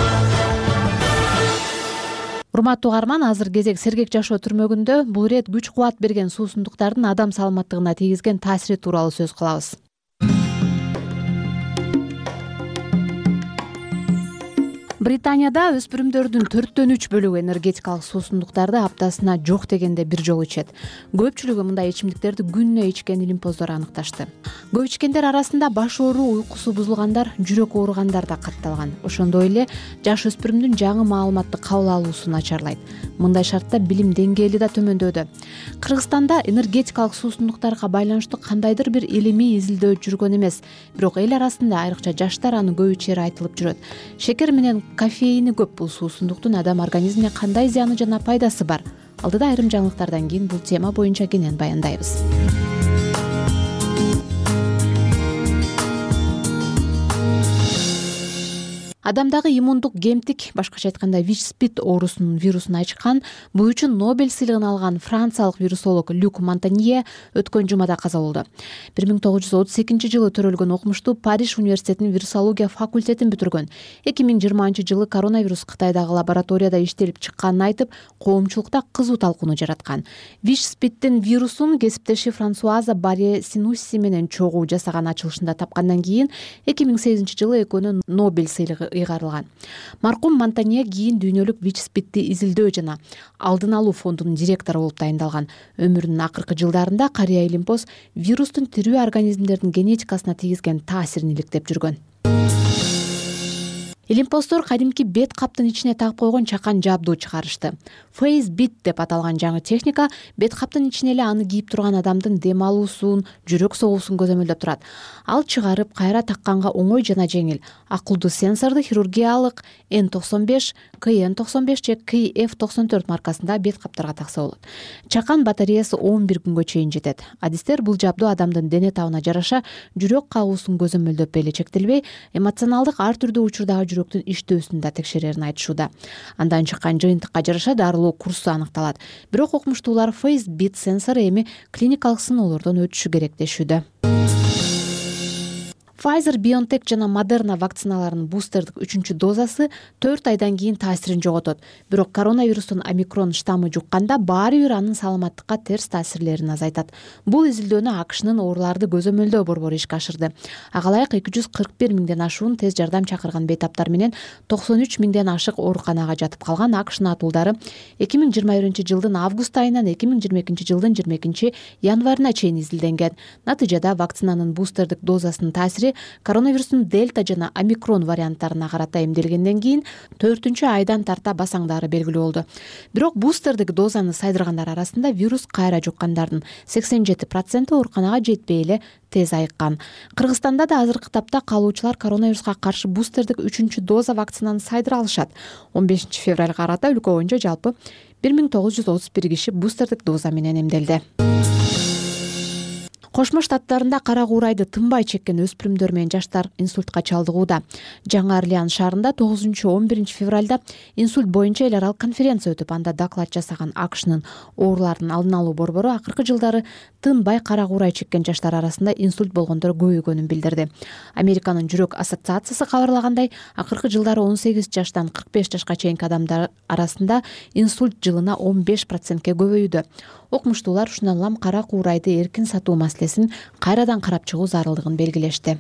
Урматтуу угарман, азыр кезек сергек жашоо түрмөгүндө бул ирет күч кубат берген суусундуктардын адам саламаттыгына тийгизген таасири тууралуу сөз кылабыз. Британияда өспүрүмдөрдүн 4/3 бөлүгү энергетикалык суусундуктарды аптасына жок дегенде бир жолу ичет. Көпчүлүгү мындай ичимдиктерди күнүнө ичкен илимпоздор аныкташты. Көп ичкендер арасында баш ооруу, уйкусу бузулгандар, жүрөк ооругандар да катталган. Ошондой эле жаш өспүрүмдүн жаңы маалыматты кабыл алуусу начарлайт. Мындай шартта билим деңгээли да төмөндөдү. Кыргызстанда энергетикалык суусундуктарга байланыштуу кандайдыр бир илимий изилдөө жүргөн эмес. Бирок эл арасында айрыкча жаштар аны көп ичери айтылып жүрөт. Шекер менен кофеини көп бул суусундуктун адам организмине кандай зыяны жана пайдасы бар? Алдыда айрым жаңылыктардан кийин бул тема боюнча кенен баяндайбыз. Адамдагы иммундук кемтик, башкача айтканда ВИЧ-СПИД оорусунун вирусун ачкан, бул үчүн Нобель сыйлыгын алган франциялык вирусолог Люк Монтанье өткөн жумада каза болду. 1932-жылы төрөлгөн окумуштуу Париж университетинин вирусология факультетин бүтүргөн. 2020-жылы коронавирус Кытайдагы лабораторияда иштелип чыкканын айтып, коомчулукта кызуу талкууну жараткан. ВИЧ-СПИДтин вирусун кесиптеши Франсуаза Барье Синусси менен чогуу жасаган ачылышында тапкандан кийин 2008-жылы экөөнүн Нобель сыйлыгы ыйгарылган. Маркум Монтанье кийин дүйнөлүк ВИЧ-СПИДти изилдөө жана алдын алуу фондунун директору болуп тайындалган. Өмүрүнүн акыркы жылдарында карыя илимпоз вирустун тирүү организмдердин генетикасына тийгизген таасирин иликтеп жүргөн. Илимпоздор кадимки бет каптын ичине тагып койгон чакан жабдуу чыгарышты. FaceBit деп аталган жаңы техника бет каптын ичине эле аны кийип турган адамдын дем алуусун, жүрөк согуусун көзөмөлдөп турат. Ал чыгарып кайра такканга оңой жана жеңил. Акылдуу сенсорду хирургиялык N95, KN95 же KF94 маркасында бет каптарга такса болот. Чакан батареясы 11 күнгө чейин жетет. Адистер бул жабдуу адамдын дене табына жараша жүрөк кагуусун көзөмөлдөп эле чектелбей, эмоционалдык ар түрдүү учурдагы жүрөктүн иштөөсүн да текшерерин айтышууда. Андан чыккан жыйынтыкка жараша дарылоо курсу аныкталат. Бирок окумуштуулар FaceBit сенсору эми клиникалык сыноолордон өтүшү керек дешүүдө. Pfizer, BioNTech жана Moderna вакциналарынын бустердик 3-дозасы 4 айдан кийин таасирин жоготот. Бирок коронавирустун омикрон штаммы жукканда баары бир анын саламаттыкка терс таасирлерин азайтат. Бул изилдөөнү AQShnын ооруларды көзөмөлдөө борбору ишке ашырды. Ага ылайык 241 миңден ашуун тез жардам чакырган бейтаптар менен 93 миңден ашык ооруканага жатып калган AQSh натуулдары 2021-жылдын август айынан 2022-жылдын 22 январына чейин изилденген. Натыйжада вакцинанын бустердик дозасынын таасири коронавирустун дельта жана омикрон варианттарына карата эмделгенден кийин 4-айдан тарта басаңдары белгилүү болду. Бирок бустердик дозаны сайдыргандар арасында вирус кайра жуккандардын 87% ооруканага жетпей эле тез айыккан. Кыргызстанда да азыркы тапта калуучулар коронавируска каршы бустердик 3-доза вакцинаны сайдыра алышат. 15 февралга карата өлкө боюнча жалпы 1931 киши бустердик доза менен эмделди. Кошмо Штаттарында кара куурайды тынбай чеккен өспүрүмдөр менен жаштар инсультка чалдыгууда. Жаңы Орлеан шаарында 9-11 февралда инсульт боюнча эл аралык конференция өтүп, анда доклад жасаган АКШнын оорулардын алдын алуу борбору акыркы жылдары тынбай кара куурай чеккен жаштар арасында инсульт болгондор көбөйгөнүн билдирди. Американын жүрөк ассоциациясы кабарлагандай, акыркы жылдары 18 жаштан 45 жашка чейинки адамдар арасында инсульт жылына 15%ке көбөйүүдө. Окумуштуулар ушундан улам кара куурайды эркин сатуу маселесин кайрадан карап чыгуу зарылдыгын белгилешти.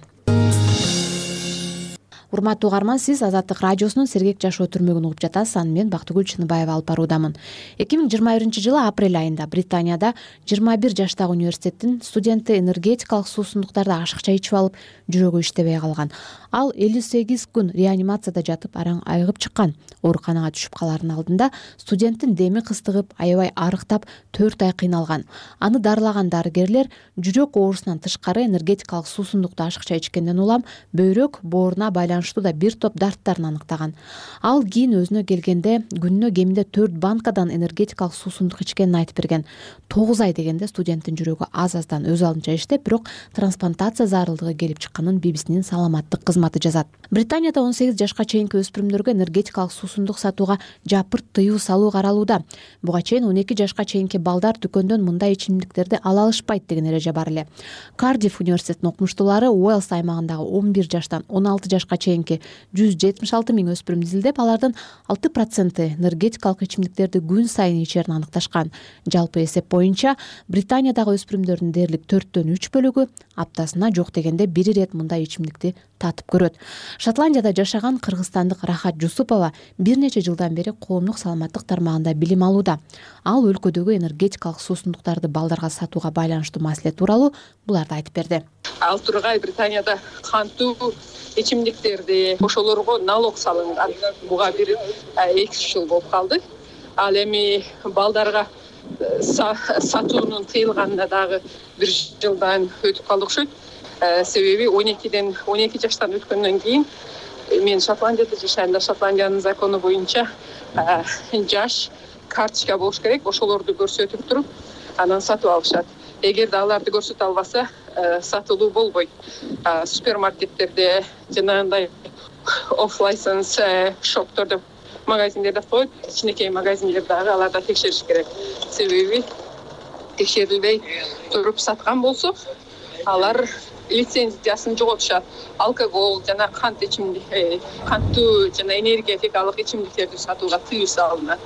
Урматтуу угарман, сиз Азаттык радиосунун сергек жашоо түрмөгүн угуп жатасыз. Аны мен Бактыгүл Чыныбаева алып баруудамын. 2021-жылы апрель айында Британияда 21 жаштагы университеттин студенти энергетикалык суусундуктарды ашыкча ичип алып, жүрөгү иштебей калган. Ал 58 күн реанимацияда жатып, араң айыгып чыккан. Ооруканага түшүп калаардын алдында студенттин деми кыстыгып, аябай арыктап, 4 ай кыйналган. Аны дарылаган дарыгерлер жүрөк оорусунан тышкары энергетикалык суусундукту ашыкча ичкенден улам бөйрөк бооруна байланыштуу да бир топ дарттарын аныктаган. Ал кийин өзүнө келгенде күнүнө кеминде 4 банкадан энергетикалык суусундук ичкенин айтып берген. 9 ай дегенде студенттин жүрөгү аз-аздан өз алдынча иштеп, бирок трансплантация зарылдыгы келип чыкканын BBC-нин саламаттык кызматы жазат. Британияда 18 жашка чейинки өспүрүмдөргө энергетикалык суусундук сатууга жапырт тыюу салуу каралууда. Буга чейин 12 жашка чейинки балдар дүкөндөн мындай ичимдиктерди ала алышпайт деген эреже бар эле. Кардиф университетинин окумуштуулары Уэльс аймагындагы 11 жаштан 16 жашка чейинки 176 миң өспүрүм изилдеп, алардын 6% энергетикалык ичимдиктерди күн сайын ичерин аныкташкан. Жалпы эсеп боюнча Британиядагы өспүрүмдөрдүн дээрлик 4/3 бөлүгү аптасына жок дегенде бир ирет мындай ичимдикти татып көрөт. Шотландияда жашаган кыргызстандык Рахат Жусупова бир нече жылдан бери коомдук саламаттык тармагында билим алууда. Ал өлкөдөгү энергетикалык суусундуктарды балдарга сатууга байланыштуу маселе тууралуу буларды айтып берди. Ал тургай Британияда кантуу ичимдиктерди ошолорго налог салынган. Буга бир 2 жыл болуп калды. Ал эми балдарга сатуунун тыйылганына дагы 1 жылдан өтүп калды окшойт. Себеби 12 жаштан өткөндөн кийин мен Шотландияда жашайм да, Шотландиянын закону боюнча жаш карточка болуш керек. Ошолорду көрсөтүп туруп, анан сатып алышат. Эгерде аларды көрсөтө албаса, сатылуу болбойт. Супермаркеттерде жанагындай офф-лайсенс шоптордо, магазиндерде коет, кичинекей магазиндер дагы аларда текшериш керек. Себеби текшерилбей туруп саткан болсо, алар лицензиясын жоготушат. Алкогол жана кант ичимдик, кантуу жана энергетикалык ичимдиктерди сатууга тыюу салынат.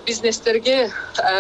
Бизнестерге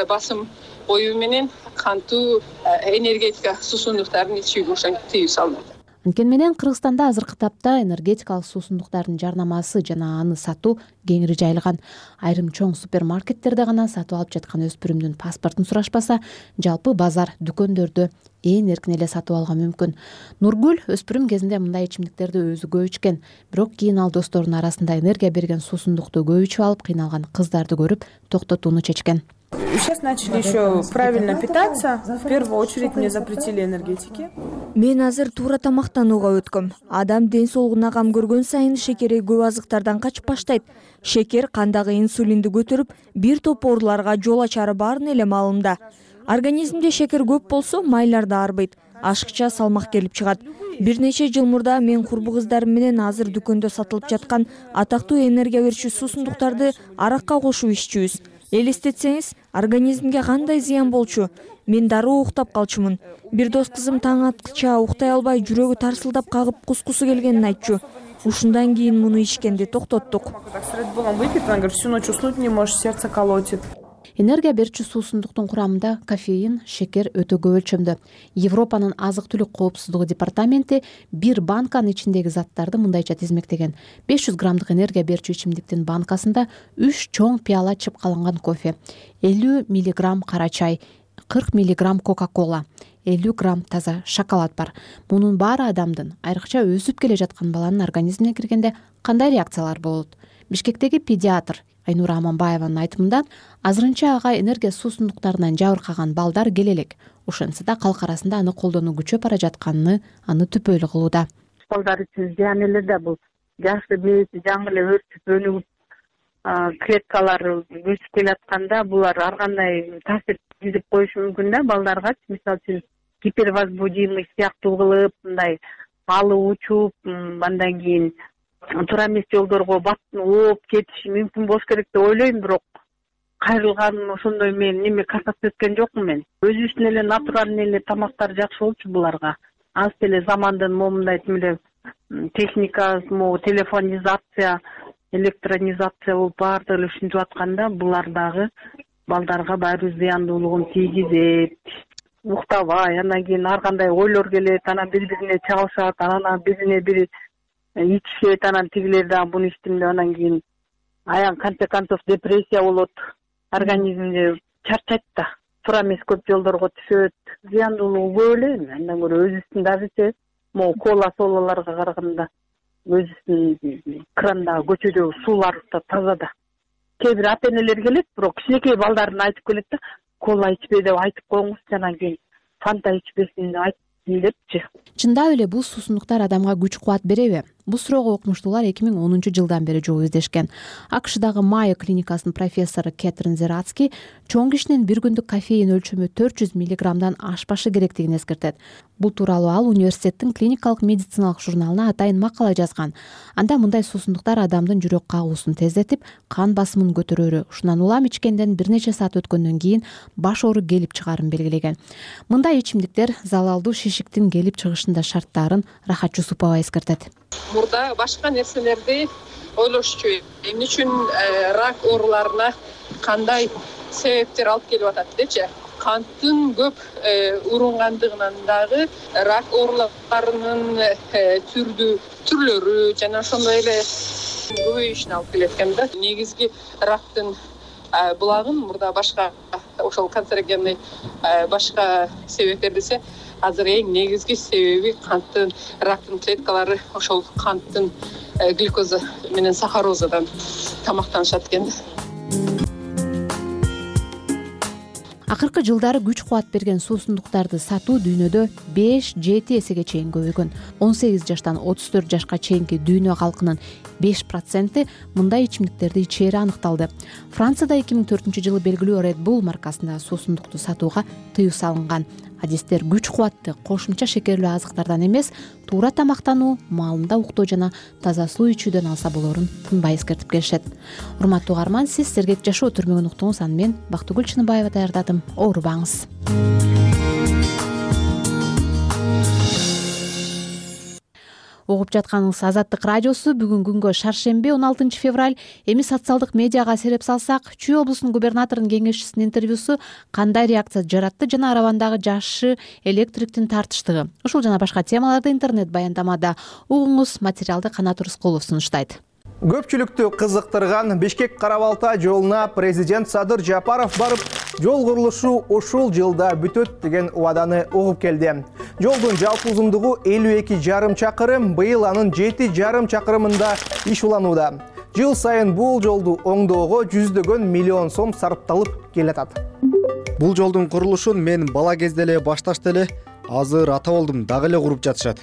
басым коюу менен кантуу энергетика суусундуктарын ичүүгө ошентип тыюу салынат. Анткени менен Кыргызстанда азыркы тапта энергетикалык суусундуктардын жарнамасы жана аны сатуу кеңири жайылган. Айрым чоң супермаркеттерде гана сатып алып жаткан өспүрүмдүн паспортун сурашпаса, жалпы базар, дүкөндөрдө ээн эркин эле сатып алга мүмкүн. Нургүл өспүрүм кезинде мындай ичимдиктерди өзү көп ичкен, бирок кийин ал досторунун арасында энергия берген суусундукту көп ичип алып кыйналган кыздарды көрүп токтотууну чечкен. Сейчас начали еще правильно питаться. В первую очередь мне запретили энергетики. Мен азыр туура тамактанууга өткөм. Адам ден соолугуна кам көргөн сайын шекери көп азыктардан качып баштайт. Шекер кандагы инсулинди көтөрүп, бир топ ооруларга жол ачары баарын эле маалымда. Организмде шекер көп болсо, майлар да арбайт. Ашыкча салмак келип чыгат. Бир нече жыл мурда мен курбу кыздарым менен азыр дүкөндө сатылып жаткан атактуу энергия берүүчү суусундуктарды аракка кошуп иччүбүз. Элестетсеңиз, организмге кандай зыян болчу? Мен дароо уктап калчумун. Бир дос кызым таң аткыча ukтай албай, жүрөгү тарсылдап кагып, кускусу келгенин айтчу. Ушундан кийин муну ичкенди токтоттук. Всю ночь уснуть не можешь, сердце колотит. Энергия берүүчү суусундуктун курамында кофеин, шекер өтө көп өлчөмдө. Европанын азык-түлүк коопсуздугу департаменти бир банканын ичиндеги заттарды мындайча тизмектеген. 500 граммдык энергия берүүчү ичимдиктин банкасында 3 чоң пияла чыпкаланган кофе, 50 мг кара чай, 40 мг кока-кола, 50 грамм таза шоколад бар. Мунун баары адамдын, айрыкча өсүп келе жаткан баланын организмине киргенде кандай реакциялар болот? Бишкектеги педиатр Айнура Аманбаеванын айтымында, азырынча ага энергия суусундуктарынан жабыркаган балдар келе элек. Ошентсе да калк арасында аны колдонуу күчөп бара жатканын аны түпөйлүү кылууда. Балдар үчүн зыян эле да бул. Жашты мээси жаңы эле өрчүп өнүгүп, клеткалары өсүп келатканда булар ар кандай таасир тийгизип коюшу мүмкүн да балдарга. Мисалы үчүн гипервозбудимый сыяктуу кылып мындай алып учуп андан кийин туура эмес жолдорго ооп кетиши мүмкүн болуш керек деп ойлойм. Бирок кайрылган ошондой мен неме касаться эткен жокмун мен. Өзүбүздүн эле натуральный эле тамактар жакшы болчу буларга. Аз деле замандын момундай тимеле техника, телефонизация, электронизация болуп баардыгы эле ушинтип атканда булар дагы балдарга баары зыяндуулугун тийгизет. Уктабай, андан кийин ар кандай ойлор келет, анан бири-бирине чабышат, анан бирине бири ичишет, анан тигилер дагы буну иштим деп анан кийин аян конце концов депрессия болот. Организмде чарчайт да. Туура эмес көп жолдорго түшөт. Зыяндуулугу көп эле. Андан көрө өзүбүздүн дагычы могу кола-солаларга караганда өзүбүздүн крандагы көчөдөгү суулар да таза да. Кээ бир ата-энелер келет, бирок кичинекей балдарына айтып келет да, кола ичпе деп айтып коюңузчу, анан кийин фанта ичпесин деп айтсын депчи. Чындап эле бул суусундуктар адамга күч кубат береби? Бул суроого окумуштуулар 2010-жылдан бери жооп издешкен. АКШдагы Майо клиникасынын профессору Кэтрин Зерацки чоң кишинин бир күндүк кофеин өлчөмү 400 миллиграммдан ашпашы керектигин эскертет. Бул тууралуу ал университеттин клиникалык медициналык журналына атайын макала жазган. Анда мындай суусундуктар адамдын жүрөк кагуусун тездетип, кан басымын көтөрөөрү, ушундан улам ичкенден бир нече саат өткөндөн кийин баш оору келип чыгаарын белгилеген. Мындай ичимдиктер залалдуу шишиктин келип чыгышында шарттарын Рахат Жусупова эскертет. Мурда башка нерселерди ойлошчу. Эмне үчүн рак ооруларына кандай себептер алып келип атат депчи. Канттын көп урунгандыгынан дагы рак ооруларынын түрлөрү жана ошондой эле көбөйүшүнө алып келет экен да. Негизги рактын булагын мурда башка ошол канцерогенный башка себептер десе, азыр эң негизги себеби канттын рактын клеткалары ошол канттын глюкоза менен сахарозадан тамактанышат экен. Акыркы жылдары күч кубат берген суусундуктарды сатуу дүйнөдө 5-7 эсеге чейин көбөйгөн. 18 жаштан 34 жашка чейинки дүйнө калкынын 5% мындай ичимдиктерди ичери аныкталды. Францияда 2004-жылы белгилүү Red Bull маркасындагы суусундукту сатууга тыюу салынган. Адистер күч кубатты кошумча шекерлүү азыктардан эмес, туура тамактануу, маалында уктоо жана таза суу ичүүдөн алса болорун тынбай эскертип келишет. Урматтуу угарман, сиз сергек жашоо түрмөгүн уктуңуз. Аны мен Бактыгүл Чыныбаева даярдадым. Оорубаңыз. Угуп жатканыңыз Азаттык радиосу. Бүгүн күнгө шаршемби 16 февраль. Эми социалдык медиага сереп салсак, Чүй облусунун губернаторунун кеңешчисинин интервьюсу кандай реакция жаратты жана Аравандагы жашы электриктин тартыштыгы. Ушул жана башка темаларды интернет баяндамада угуңуз. Материалды Канат Рыскулов сунуштайт. Көпчүлүктү кызыктырган Бишкек-Кара-Балта жолуна президент Садыр Жапаров барып, жол курулушу ушул жылда бүтөт деген убаданы угуп келди. Жолдун жалпы узундугу 52,5 чакырым, быйыл анын 7,5 чакырымында иш уланууда. Жыл сайын бул жолду оңдоого жүздөгөн миллион сом сарпталып келатат. Бул жолдун курулушун мен бала кезде эле башташты эле, азыр ата болдум, дагы эле куруп жатышат.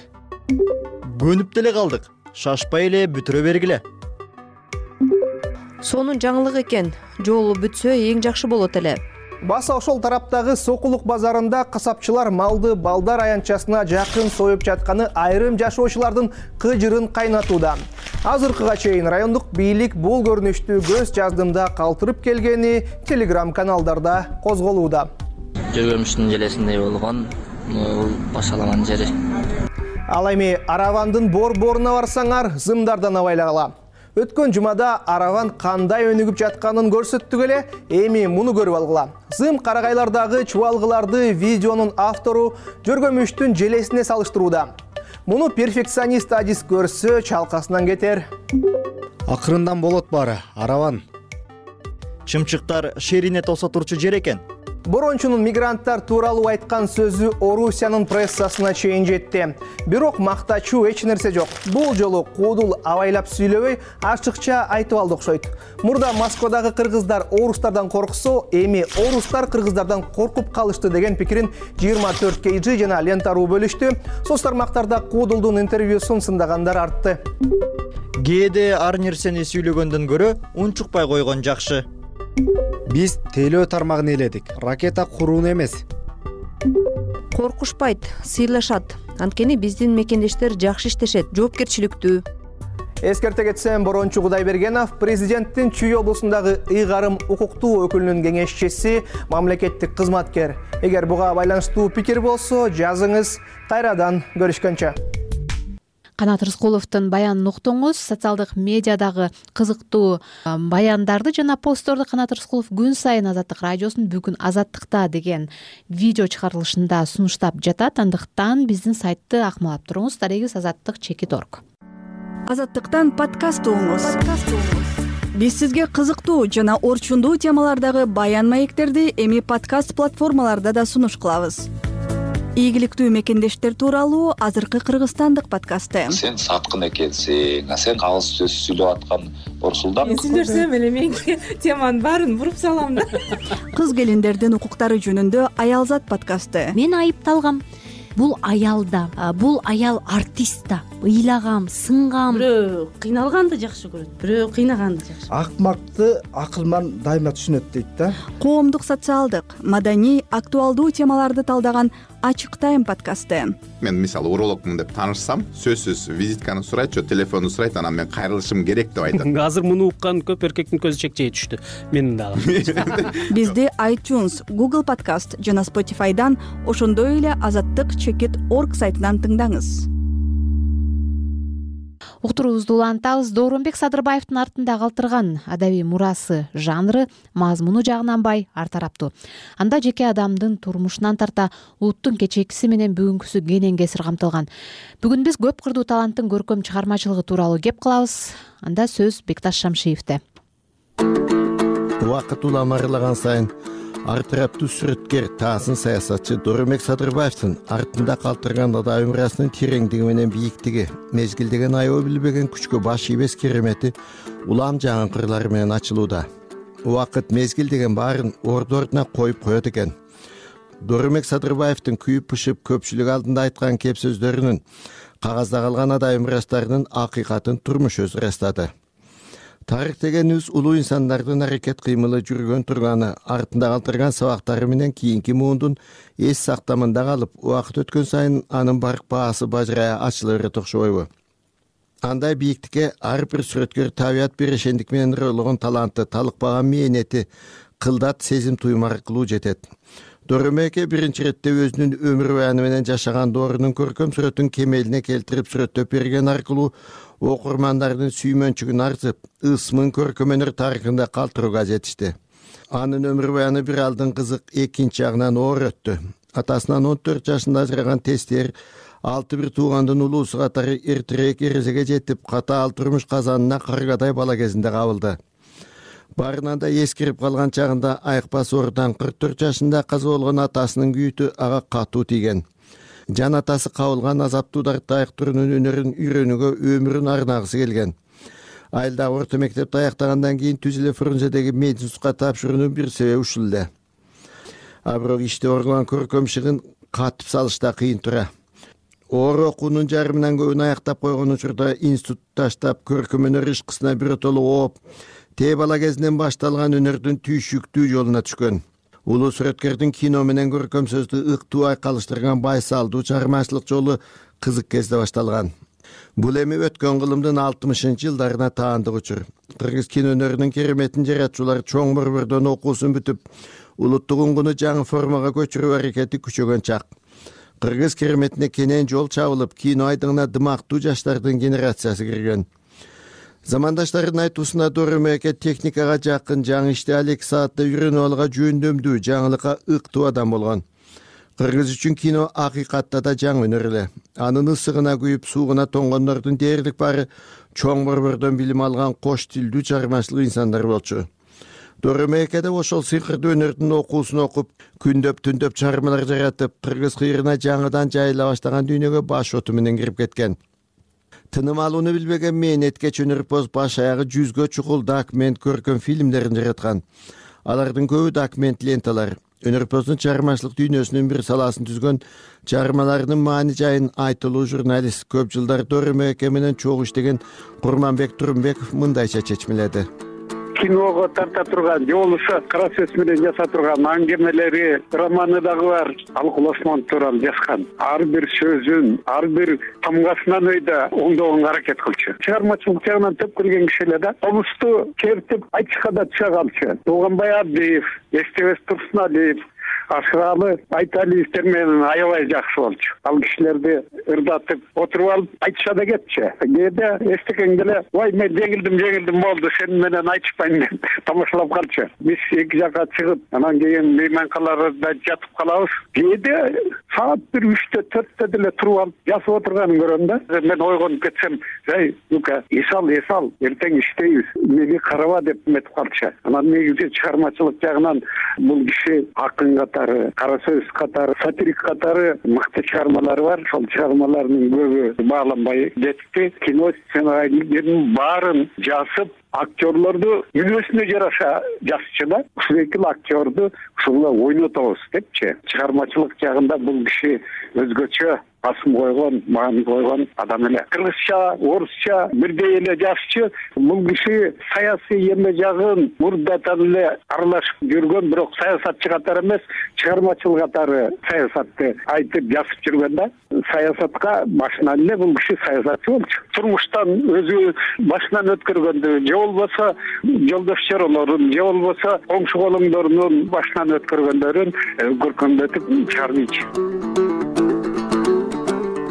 Көнүп деле калдык, шашпай эле бүтүрө бергиле. Сонун жаңылык экен. Жолу бүтсө эң жакшы болот эле. Баса ошол тараптагы Сокулук базарында касапчылар малды балдар аянтчасына жакын союп жатканы айрым жашоочулардын кыжырын кайнатууда. Азыркыга чейин райондук бийлик бул көрүнүштү көз жаздымда калтырып келгени телеграм-каналдарда козголууда. Жүргөмүштүн желесиндей болгон бул башаламан жери. Ал эми Аравандын борборуна барсаңар, зымдардан абайлагыла. Өткөн жумада Араван кандай өнүгүп жатканын көрсөттүк эле, эми муну көрүп алгыла. Зым карагайлардагы чубалгыларды видеонун автору Жөргөмүштүн желесине салыштырууда. Муну перфекционист адис көрсө чалкасынан кетер. Акырындан болот баары, Араван. Чымчыктар шерине тосо турчу жер экен. Борончунун мигранттар тууралуу айткан сөзү Орусиянын прессасына чейин жетти. Бирок мактачуу эч нерсе жок. Бул жолу куудул абайлап сүйлөбөй, ачыкча айтып алды окшойт. Мурда Москвадагы кыргыздар орустардан корксо, эми орустар кыргыздардан коркуп калышты деген пикирин 24 KG жана Лента.ру бөлүштү. Соц тармактарда куудулдун интервьюсун сындагандар артты. Кээде ар нерсени сүйлөгөндөн көрө унчукпай койгон жакшы. Биз тейлөө тармагын ээледик, ракета курууну эмес. коркушпайт, сыйлашат. Анткени биздин мекендештер жакшы иштешет, жоопкерчиликтүү. Эскерте кетсем, Борончу Кудайбергенов президенттин Чүй облусундагы ыйгарым укуктуу өкүлүнүн кеңешчиси, мамлекеттик кызматкер. Эгер буга байланыштуу пикир болсо, жазыңыз. Кайрадан көрүшкөнчө. Канат Рыскуловдун баянын уктуңуз. Социалдык медиадагы кызыктуу баяндарды жана постторду Канат Рыскулов күн сайын Азаттык радиосунун бүгүн Азаттыкта деген видео чыгарылышында сунуштап жатат. Андыктан биздин сайтты акмалап туруңуз. @azattik.org. Азаттыктан подкаст угуңуз. Биз сизге кызыктуу жана орчундуу темалардагы баян маектерди эми подкаст платформаларда да сунуш кылабыз. Ийгиликтүү мекендештер тууралуу азыркы кыргызстандык подкасты. Сен саткын экенсиң, сен кагыз сөз сүйлөп аткан Орсулдан. Мен сүйлөсөм эле менин теманын баарын буруп салам да. Кыз келиндердин укуктары жөнүндө Аялзат подкасты. Мен айыпталгам. Бул аял да, бул аял артист да. Ыйлагам, сынгам. Бирөө кыйналганды жакшы көрөт, бирөө кыйнаганды жакшы. Акмакты акылман дайыма түшүнөт дейт да. Коомдук, социалдык, маданий, актуалдуу темаларды талдаган Ачык тайм подкасты. Мен мисалы урологмун деп таанышсам, сөзсүз визитканы сурайт, же телефонду сурайт, анан мен кайрылышым керек деп айтат. Азыр муну уккан көп эркектин көзү чекчей түштү. Менин дагы. Бизди iTunes, Google Podcast жана Spotify'дан, ошондой эле azattik.org сайтынан тыңдаңыз. Уктуруубузду улантабыз. Дооронбек Садырбаевдин артында калтырган адабий мурасы жанры мазмуну жагынан бай, ар тараптуу. Анда жеке адамдын турмушунан тарта улуттун кечээкиси менен бүгүнкүсү кенен кесир камтылган. Бүгүн биз көп кырдуу таланттын көркөм чыгармачылыгы тууралуу кеп кылабыз. Анда сөз Бекташ Шамшиевде. Убакыт уламарылаган сайын ар тараптуу сүрөткер, таасын саясатчы Дооронбек Садырбаевдин артында калтырган адабий мурасынын тереңдиги менен бийиктиги, мезгилдеген аябы билбеген күчкө баш ийбес керемети улам жаңы кырлары менен ачылууда. Убакыт мезгил деген баарын орду-ордуна коюп коет экен. Дооронбек Садырбаевдин күйүп-пышып көпчүлүк алдында айткан кеп сөздөрүнүн, кагазда калган адабий мурастарынын акыйкатын турмуш өзү ырастады. Тарих дегенибиз улуу инсандардын аракет кыймылы жүргөн турганы, артында калтырган сабактары менен кийинки муундун эс сактамында калып, убакыт өткөн сайын анын барк баасы бажырая ачыла берет окшобойбу? Андай бийиктикке ар бир сүрөткөр табият берешендик менен ырылган таланты, талыкпаган мээнети, кылдат сезим туюм аркылуу жетет. Дооронбек биринчи иретте өзүнүн өмүр баяны менен жашаган доорунун көркөм сүрөтүн кемелине келтирип сүрөттөп берген аркылуу окурмандардын сүймөнчүгүн арзып, ысмын көркөм өнөр тарыхында калтырууга жетишти. Анын өмүр баяны бир алдын кызык, экинчи жагынан оор өттү. Атасынан 14 жашында ажыраган тестер 6 туугандын улуусу катары эртерээк эрезеге жетип, катаал турмуш казанына каргадай бала кезинде кабылды. Барынан да эскирип калган чагында айыкпас оорудан 44 жашында каза болгон атасынын күйүтү ага катуу тийген. Жан атасы кабылган азаптуу дартты айыктыруунун өнөрүн үйрөнүүгө өмүрүн арнагысы келген. Айылдагы орто мектепти аяктагандан кийин Түзүлө Фрунзедеги мединститутка тапшыруунун бир себеби ушул эле. А бирок иште оргулган көркөм шыгын катып салышта кыйын тура. Оор окуунун жарымынан көбүн аяктап койгон учурда институт таштап, көркөм өнөр ишкысына биротоло ооп, тээ бала кезинен башталган өнөрдүн түйшүктүү жолуна түшкөн. Улуу сүрөткөрдүн кино менен көркөм сөздү ыктуу айкалыштырган байсалдуу чыгармачылык жолу кызык кезде башталган. Бул эми өткөн кылымдын 60-жылдарына таандык учур. Кыргыз кино өнөрүнүн кереметин жаратчулар чоң борбордон окуусун бүтүп, улуттук уңгуну жаңы формага көчүрүү аракети күчөгөн чак. Кыргыз кереметине кенен жол чабылып, кино айдыңына дымактуу жаштардын генерациясы кирген. Замандаштардын айтуусунда Дооронбек техникага жакын, жаңы иште алек саатта үйрөнүп алга жөндөмдүү, жаңылыкка ыктуу адам болгон. Кыргыз үчүн кино акыйкатта да жаңы өнөр эле. Анын ысыгына күйүп, суугуна тоңгондордун дээрлик баары чоң борбордон билим алган кош тилдүү чыгармачылык инсандар болчу. Дооронбек да ошол сыйкырдуу өнөрдүн окуусун окуп, күндөп-түндөп чыгармалар жаратып, кыргыз кыйрына жаңыдан жайыла баштаган дүйнөгө баш оту менен кирип кеткен. Тыным алууну билбеген мээнетке чөнөрпөз баш аягы 100гө чукул документ көркөм фильмдерин жараткан. Алардын көбү документ ленталар. Өнөрпөздүн чыгармачылык дүйнөсүнүн бир саласын түзгөн, чыгармаларынын маани жайын айтылуу журналист, көп жылдар Дооронбек менен чогуу иштеген Курманбек Турумбеков мындайча чечмеледи. киного тарта турган же болбосо кара сөз менен жаса турган аңгемелери, романы дагы бар. Алкул Осмонов тууралуу жазган. Ар бир сөзүн, ар бир тамгасынан өйдө оңдогонго аракет кылчу. Чыгармачылык жагынан төп көргөн киши эле да. Комузду чертип айтышка да чыга калчу. Тууганбай Абдиев, Эстебес Турсуналиев, Ашыралы Айталиевдер менен аябай жакшы болчу. Ал кишилерди ырдатып отуруп алып айтыша да кетчү. Кээде эстеген деле, "Ой, мен жеңилдим болду, сен менен айтышпайм" деп тамашалап калчу. Биз эки жакка чыгып, анан кийин мейманкаларда жатып калабыз. Кээде саат 1-3-тө 4-тө деле туруп алып жазып отурганын көрөм да. Мен ойгонуп кетсем, "Эй, Лука, эсал, эртең иштейбиз, мени караба" деп эметип калчу. Анан негизи чыгармачылык жагынан бул киши акын катары, кара сөз катары, сатирик катары мыкты чыгармалары бар. Ошол чыгармаларынын көбү бааланбай кетти. Кино сценарийдерин баарын жазып, актерлорду мүнөзүнө жараша жазчу да. Ушул эки актерду ушула ойнотобуз депчи. Чыгармачылык жагында бул киши өзгөчө басым койгон, маани койгон адам эле. Кыргызча, орусча бирдей эле жазчу. Бул киши саясий эме жагын мурдадан эле аралашып жүргөн, бирок саясатчы катары эмес, чыгармачыл катары саясатты айтып жазып жүргөн да. Саясатка башынан эле бул киши саясатчы болчу. Турмуштан өзү башынан өткөргөндү, же болбосо жолдош чоролорун, же болбосо коңшу колуңдорунун башынан өткөргөндөрүн көркөмдөтүп чыгарбайчы.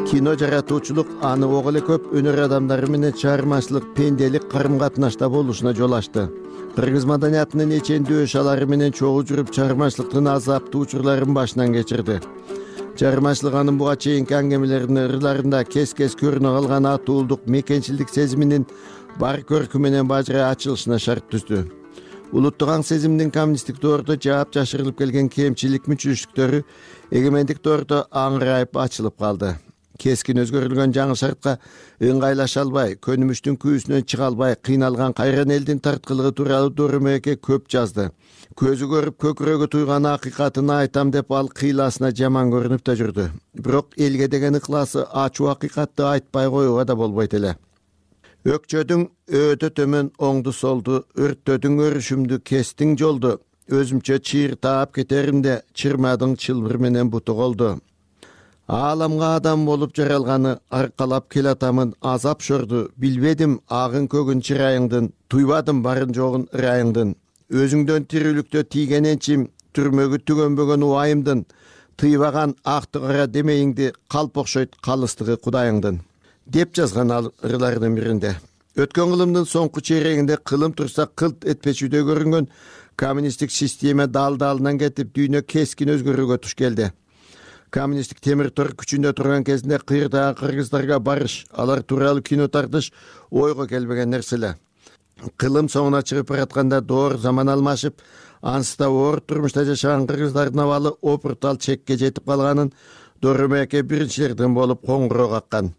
Кино жаратуучулук аны ого эле көп өнөр адамдары менен чыгармачылык, пенделик карым-катнашта болушуна жол ачты. Кыргыз маданиятынын эчендүү шалары менен чогуу жүрүп, чыгармачылыктын азаптуу учурларын башынан кечирди. Чыгармачылык анын буга чейинки аңгемелеринин ырларында кес-кес көрүнө калган атуулдук, мекенчилдик сезиминин бар көркү менен бажырай ачылышына шарт түздү. Улуттук аң сезимдин коммунисттик доордо жаап жашырылып келген кемчилик мүчүлүштүктөрү эгемендик доордо аңырайып ачылып калды. Кескин өзгөрүлгөн жаңы шартка ыңгайлаша албай, көнүмүштүн күүсүнөн чыга албай кыйналган кайран элдин тарткылыгы тууралуу Дөрөмөке көп жазды. Көзү көрүп көкүрөгү туйган акыйкатын айтам деп ал кыйласына жаман көрүнүп да жүрдү. Бирок элге деген ыкласы ачуу акыйкатты айтпай коюуга да болбойт эле. Өкчөдүң өтө төмөн оңду солду, өрттөдүң өрүшүмдү, кестиң жолду. Өзүмчө чыйыр таап кетеримде, чырмадың чылбыр менен буту колду. Ааламга адам болуп жаралганы аркалап келатамын азап шорду. Билбедим агын көгүн чырайыңдын, туйбадым барын жогун ырайыңдын. Өзүңдөн тирүүлүктө тийген энчим, түрмөгү түгөнбөгөн убайымдын. Тыйбаган акты кара демейиңди, калп окшойт калыстыгы кудайыңдын. Деп жазган ал ырларынын биринде. Өткөн кылымдын соңку чейрегинде кылым турса кылт этпечүдөй көрүнгөн коммунисттик система дал-далынан кетип, дүйнө кескин өзгөрүүгө туш келди. Коммунисттик темир тор күчүндө турган кезинде кыйырдагы кыргыздарга барыш, алар тууралуу кино тартыш ойго келбеген нерселер. Кылым соңуна чыгып баратканда доор заман алмашып, ансызда оор турмушта жашаган кыргыздардын абалы опуртал чекке жетип калганын Дөрөмөке биринчилерден болуп коңгуроо каккан.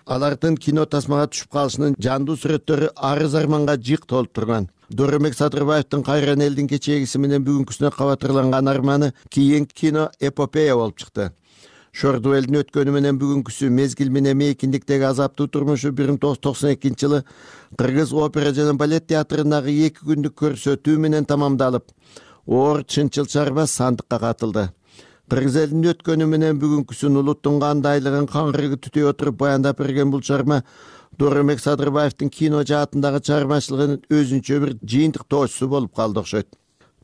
Алардын кино тасмага түшүп калышынын жандуу сүрөттөрү арыз арманга жык толуп турган. Дөрөмөк Садырбаевдин кайран элдин кечегиси менен бүгүнкүсүнө кабатырланган арманы кийин кино эпопея болуп чыкты. Шорду элдин өткөнү менен бүгүнкүсү, мезгил менен мейкиндиктеги азаптуу турмушу 1992-жылы Кыргыз опера жана балет театрындагы 2 күндүк көрсөтүү менен тамамдалып, оор чынчыл чарба сандыкка катылды. Кыргыз элдин өткөнү менен бүгүнкүсүн, улуттун кандайлыгын каңгырыгы түтөй отуруп баяндап берген бул чарма Дөрөмөк Садырбаевдин кино жаатындагы чыгармачылыгынын өзүнчө бир жыйынтыктоочусу болуп калды окшойт.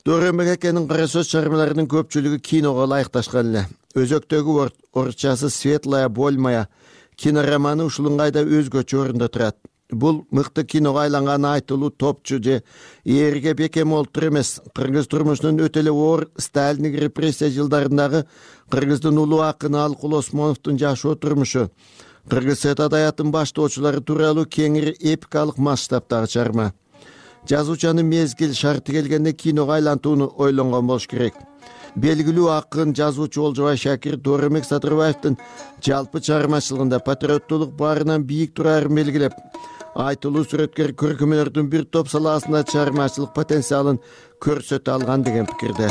Дөрөмөкенин кара сөз чармаларынын көпчүлүгү киного ылайыкташкан эле. Өзөктөгү орусчасы «Светлая боль моя» кинороманы ушул ыңгайда өзгөчө орунда турат. Бул мыкты киного айланган айтылуу топчу же эрге бекем олтур эмес, кыргыз турмушунун өтө эле оор сталиндик репрессия жылдарындагы кыргыздын улуу акыны Алкул Осмоновдун жашоо турмушу, кыргыз сет адаятынын баштоочулары тууралуу кеңири эпикалык масштабтагы чарма. Жазуучанын мезгил шарты келгенде киного айлантууну ойлонгон болуш керек. Белгилүү акын, жазуучу Олжобай Шакир Дөрөмөк Садырбаевдин жалпы чыгармачылыгында патриоттуулук баарынан бийик турарын белгилеп, айтылуу сүрөткер көркөмөлөрдүн бир топ салаасында чыгармачылык потенциалын көрсөтө алган деген пикирде.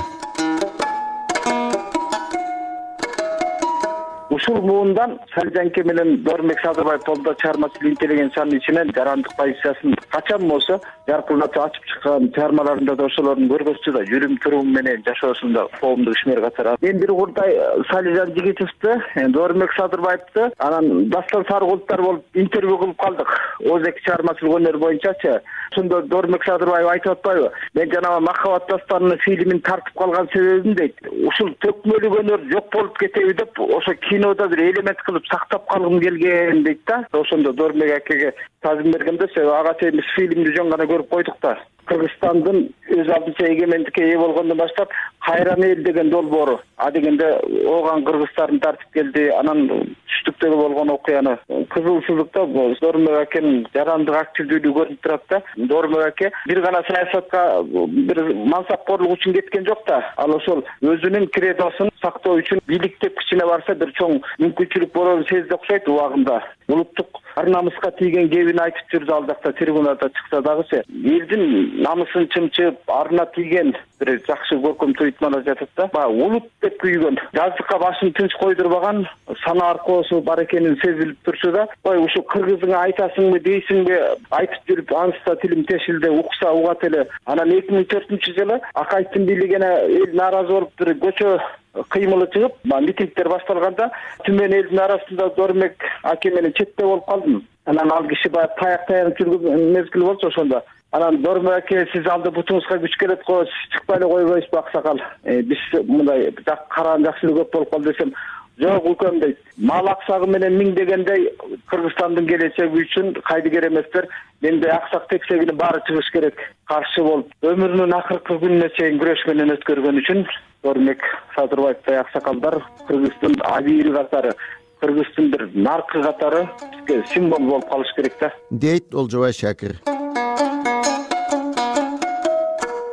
Ушул муундан Салижанке менен Доормек Садырбаев тобдо чыгармачыл интеллигенциянын ичинен жарандык позициясын качан болсо жаркыратып ачып чыккан чыгармаларында да ошолордун көргөзчү да жүрүм туруму менен жашоосунда коомдук ишмер катары. Мен бир урдай Салижан Жигитовду, Доормек Садырбаевду анан дастан сары кулуттар болуп интервью кылып калдык. Озеки чыгармачылык өнөр боюнчачы. Ошондо Доормек Садырбаев айтып атпайбы? Мен жанагы Махабат дастанынын фильмин тартып калган себебим дейт. Ушул төкмөлүк өнөр жок болуп кетеби деп ошо кинода бир элемент кылып сактап калгым келген дейт да. Ошондо Доормек акеге тазым бергенде ага чейин фильмди жөн гана көрүп койдук да. Кыргызстандын өз алдынча эгемендикке ээ болгондон баштап кайран эл деген долбоору. А дегенде ооган кыргыздардын тартып келди. Анан түштүктөгү болгон окуяны кызыл сызыкта Доормек акенин жарандык активдүүлүгү көрүнүп турат да. Доормек аке бир гана саясатка бир мансапкорлук үчүн кеткен жок да. Ал ошол өзүнүн кредосун сактоо үчүн бийлик деп кичине барса бир чоң мүмкүнчүлүк болоорун сезди окшойт убагында. Улуттук ар намыска тийген кебин айтып жүрдү ал жакта трибунада чыкса дагычы. Элдин намысын чымчып, арына тийген бир жакшы көркөм туйтмада жатат да. Баягы улут деп күйгөн, жаздыкка башын тынч койдурбаган сана аркоосу бар экенин сезилип турчу да. Ой, ушу кыргызыңа айтасыңбы, дейсиңби, айтып жүрүп анста тилим тешилди, укса угат эле. Анан 2004-жылы Акаевдин бийлигине эл нааразы болуп бир көчө кыймылы чыгып, митингдер башталганда түмөн элдин арасында Доормек аке менен четте болуп калдым. Анан ал киши баягы таянып жүргөн мезгил болчу ошондо. Анан Доормек аке сиз алды бутуңузга күч келет го, чыкпай эле койбойсузбу аксакал? Биз мындай караан жакшылык көп болуп калды десем, жок укам дейт. Мал аксагы менен миңдегендей Кыргызстандын келечеги үчүн кайдыгер эместер. Менде аксак тексегинин баары чыгыш керек. Каршы болуп, өмүрүнүн акыркы күнүнө чейин күрөш менен өткөргөн үчүн Доормек Садырбаевтай аксакалдар Кыргыздын абийири катары, Кыргыздын бир наркы катары бизге символ болуп калыш керек да. Дейт Олжобай Шакир.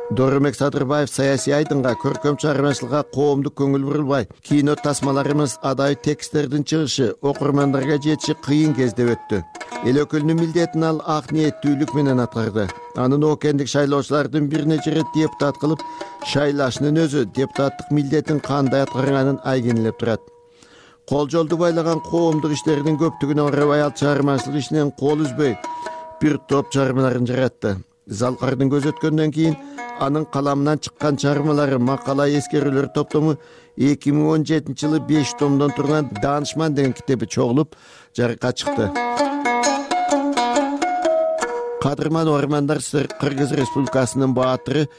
Доормек Садырбаев саясий айдынга, көркөм чыгармачылыкка коомдук көңүл бурулбай, кино тасмаларыбыз адай тексттердин чыгышы, окурмандарга жетиши кыйын кезде өттү. Эл өкүлүнүн милдетин ал ак ниеттүүлүк менен аткарды. Анын окендик шайлоочулардын бир нече ирет депутат кылып шайлашынын өзү депутаттык милдетин кандай аткарганын айгинелеп турат. Кол жолду байлаган коомдук иштердин көптүгүнө оорабай ал чыгармачылык ишинен кол үзбөй бир топ чыгармаларын жаратты. Залкардын көз өткөндөн кийин анын каламынан чыккан чыгармалары макала эскерүүлөр топтому 2017-жылы 5 томдон турган Данышман деген китеби чогулуп жарыкка чыкты. Кадырман Ормандар Кыргыз Республикасынын баатыры,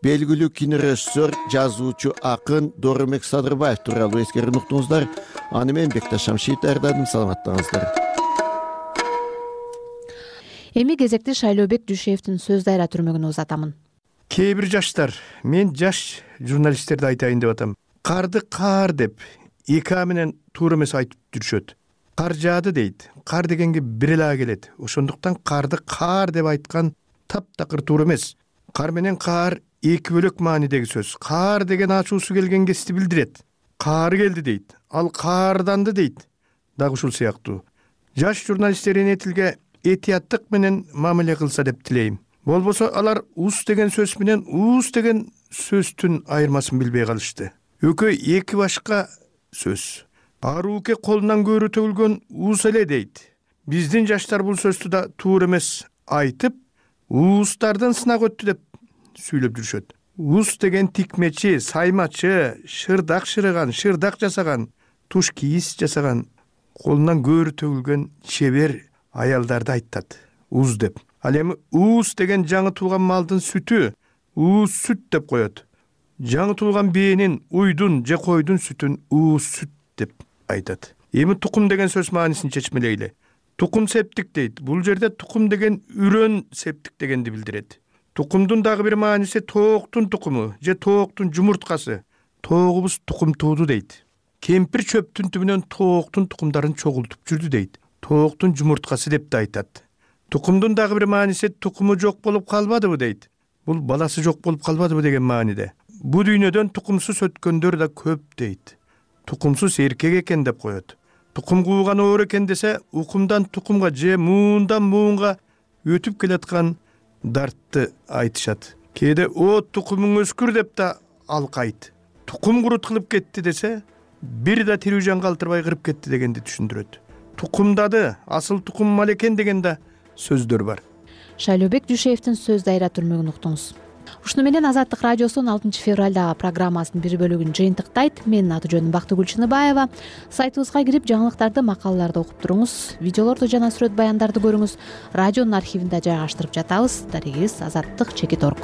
белгилүү кинорежиссер, жазуучу, акын Доормек Садырбаев тууралуу эскерип уктуңуздар. Аны мен Бекташ Шамшиев даярдадым. Саламаттыңыздар. Эми кезекти Шайлообек Дүйшеевдин сөз дайра түрмөгүнө узатамын. Кээ бир жаштар, мен жаш журналисттерди айтайын деп атам. Карды кар деп эки менен туура эмес айтып жүрүшөт. Кар жаады дейт. Кар дегенге бир эле келет. Ошондуктан карды кар деп айткан таптакыр туура эмес. Кар менен кар эки бөлөк маанидеги сөз. Кар деген ачуусу келген кезде билдирет. Кар келди дейт. Ал карданды дейт. Дагы ушул сыяктуу. Жаш журналистер энетилге этияттык менен мамиле кылса деп тилейм. Болбосо алар ус деген сөз менен ус деген сөздүн айырмасын билбей калышты. Экөө эки башка сөз. Арууке колунан көрү төгүлгөн уус эле дейт. Биздин жаштар бул сөздү да туура эмес айтып, уустардын сынак өттү деп сүйлөп жүрүшөт. Уус деген тикмечи, саймачы, шырдак шырыган, шырдак жасаган, туш кийиз жасаган, колунан көрү төгүлгөн чебер аялдарды айтат. Уус деп. Ал эми уус деген жаңы туулган малдын сүтү, уус сүт деп коет. Жаңы туулган бээнин, уйдун же койдун сүтүн уус сүт деп айтат. Эми тукум деген сөз маанисин чечмелейли. Тукум септик дейт. Бул жерде тукум деген үрөн септик дегенди билдирет. Тукумдун дагы бир мааниси тооктун тукуму же тооктун жумурткасы. Тоогубуз тукум тууду дейт. Кемпир чөптүн түбүнөн тооктун тукумдарын чогултуп жүрдү дейт. Тооктун жумурткасы деп да айтат. Тукумдун дагы бир мааниси тукуму жок болуп калбадыбы дейт. Бул баласы жок болуп калбадыбы деген мааниде. Бу дүйнөдөн тукумсуз өткөндөр да көп дейт. Тукумсуз эркек экен деп коет. Тукум кууган оор экен десе, укумдан тукумга же муундан муунга өтүп келаткан дартты айтышат. Кээде о тукумуң өскүр деп да алкайт. Тукум курут кылып кетти десе, бир да тирүү жан калтырбай кырып кетти дегенди түшүндүрөт. Тукумдады, асыл тукум мал экен деген да сөздөр бар. Шайлообек Дүйшеевдин сөз дайра түрмөгүн уктуңуз. Ушуну менен Азаттык радиосунун 6 февралдагы программасынын бир бөлүгүн жыйынтыктайт. Менин аты жөнүм Бактыгүл Чыныбаева. Сайтыбызга кирип жаңылыктарды, макалаларды окуп туруңуз. Видеолорду жана сүрөт баяндарды көрүңүз. Радионун архивинде жайгаштырып жатабыз. Дарегибиз Азаттык /org.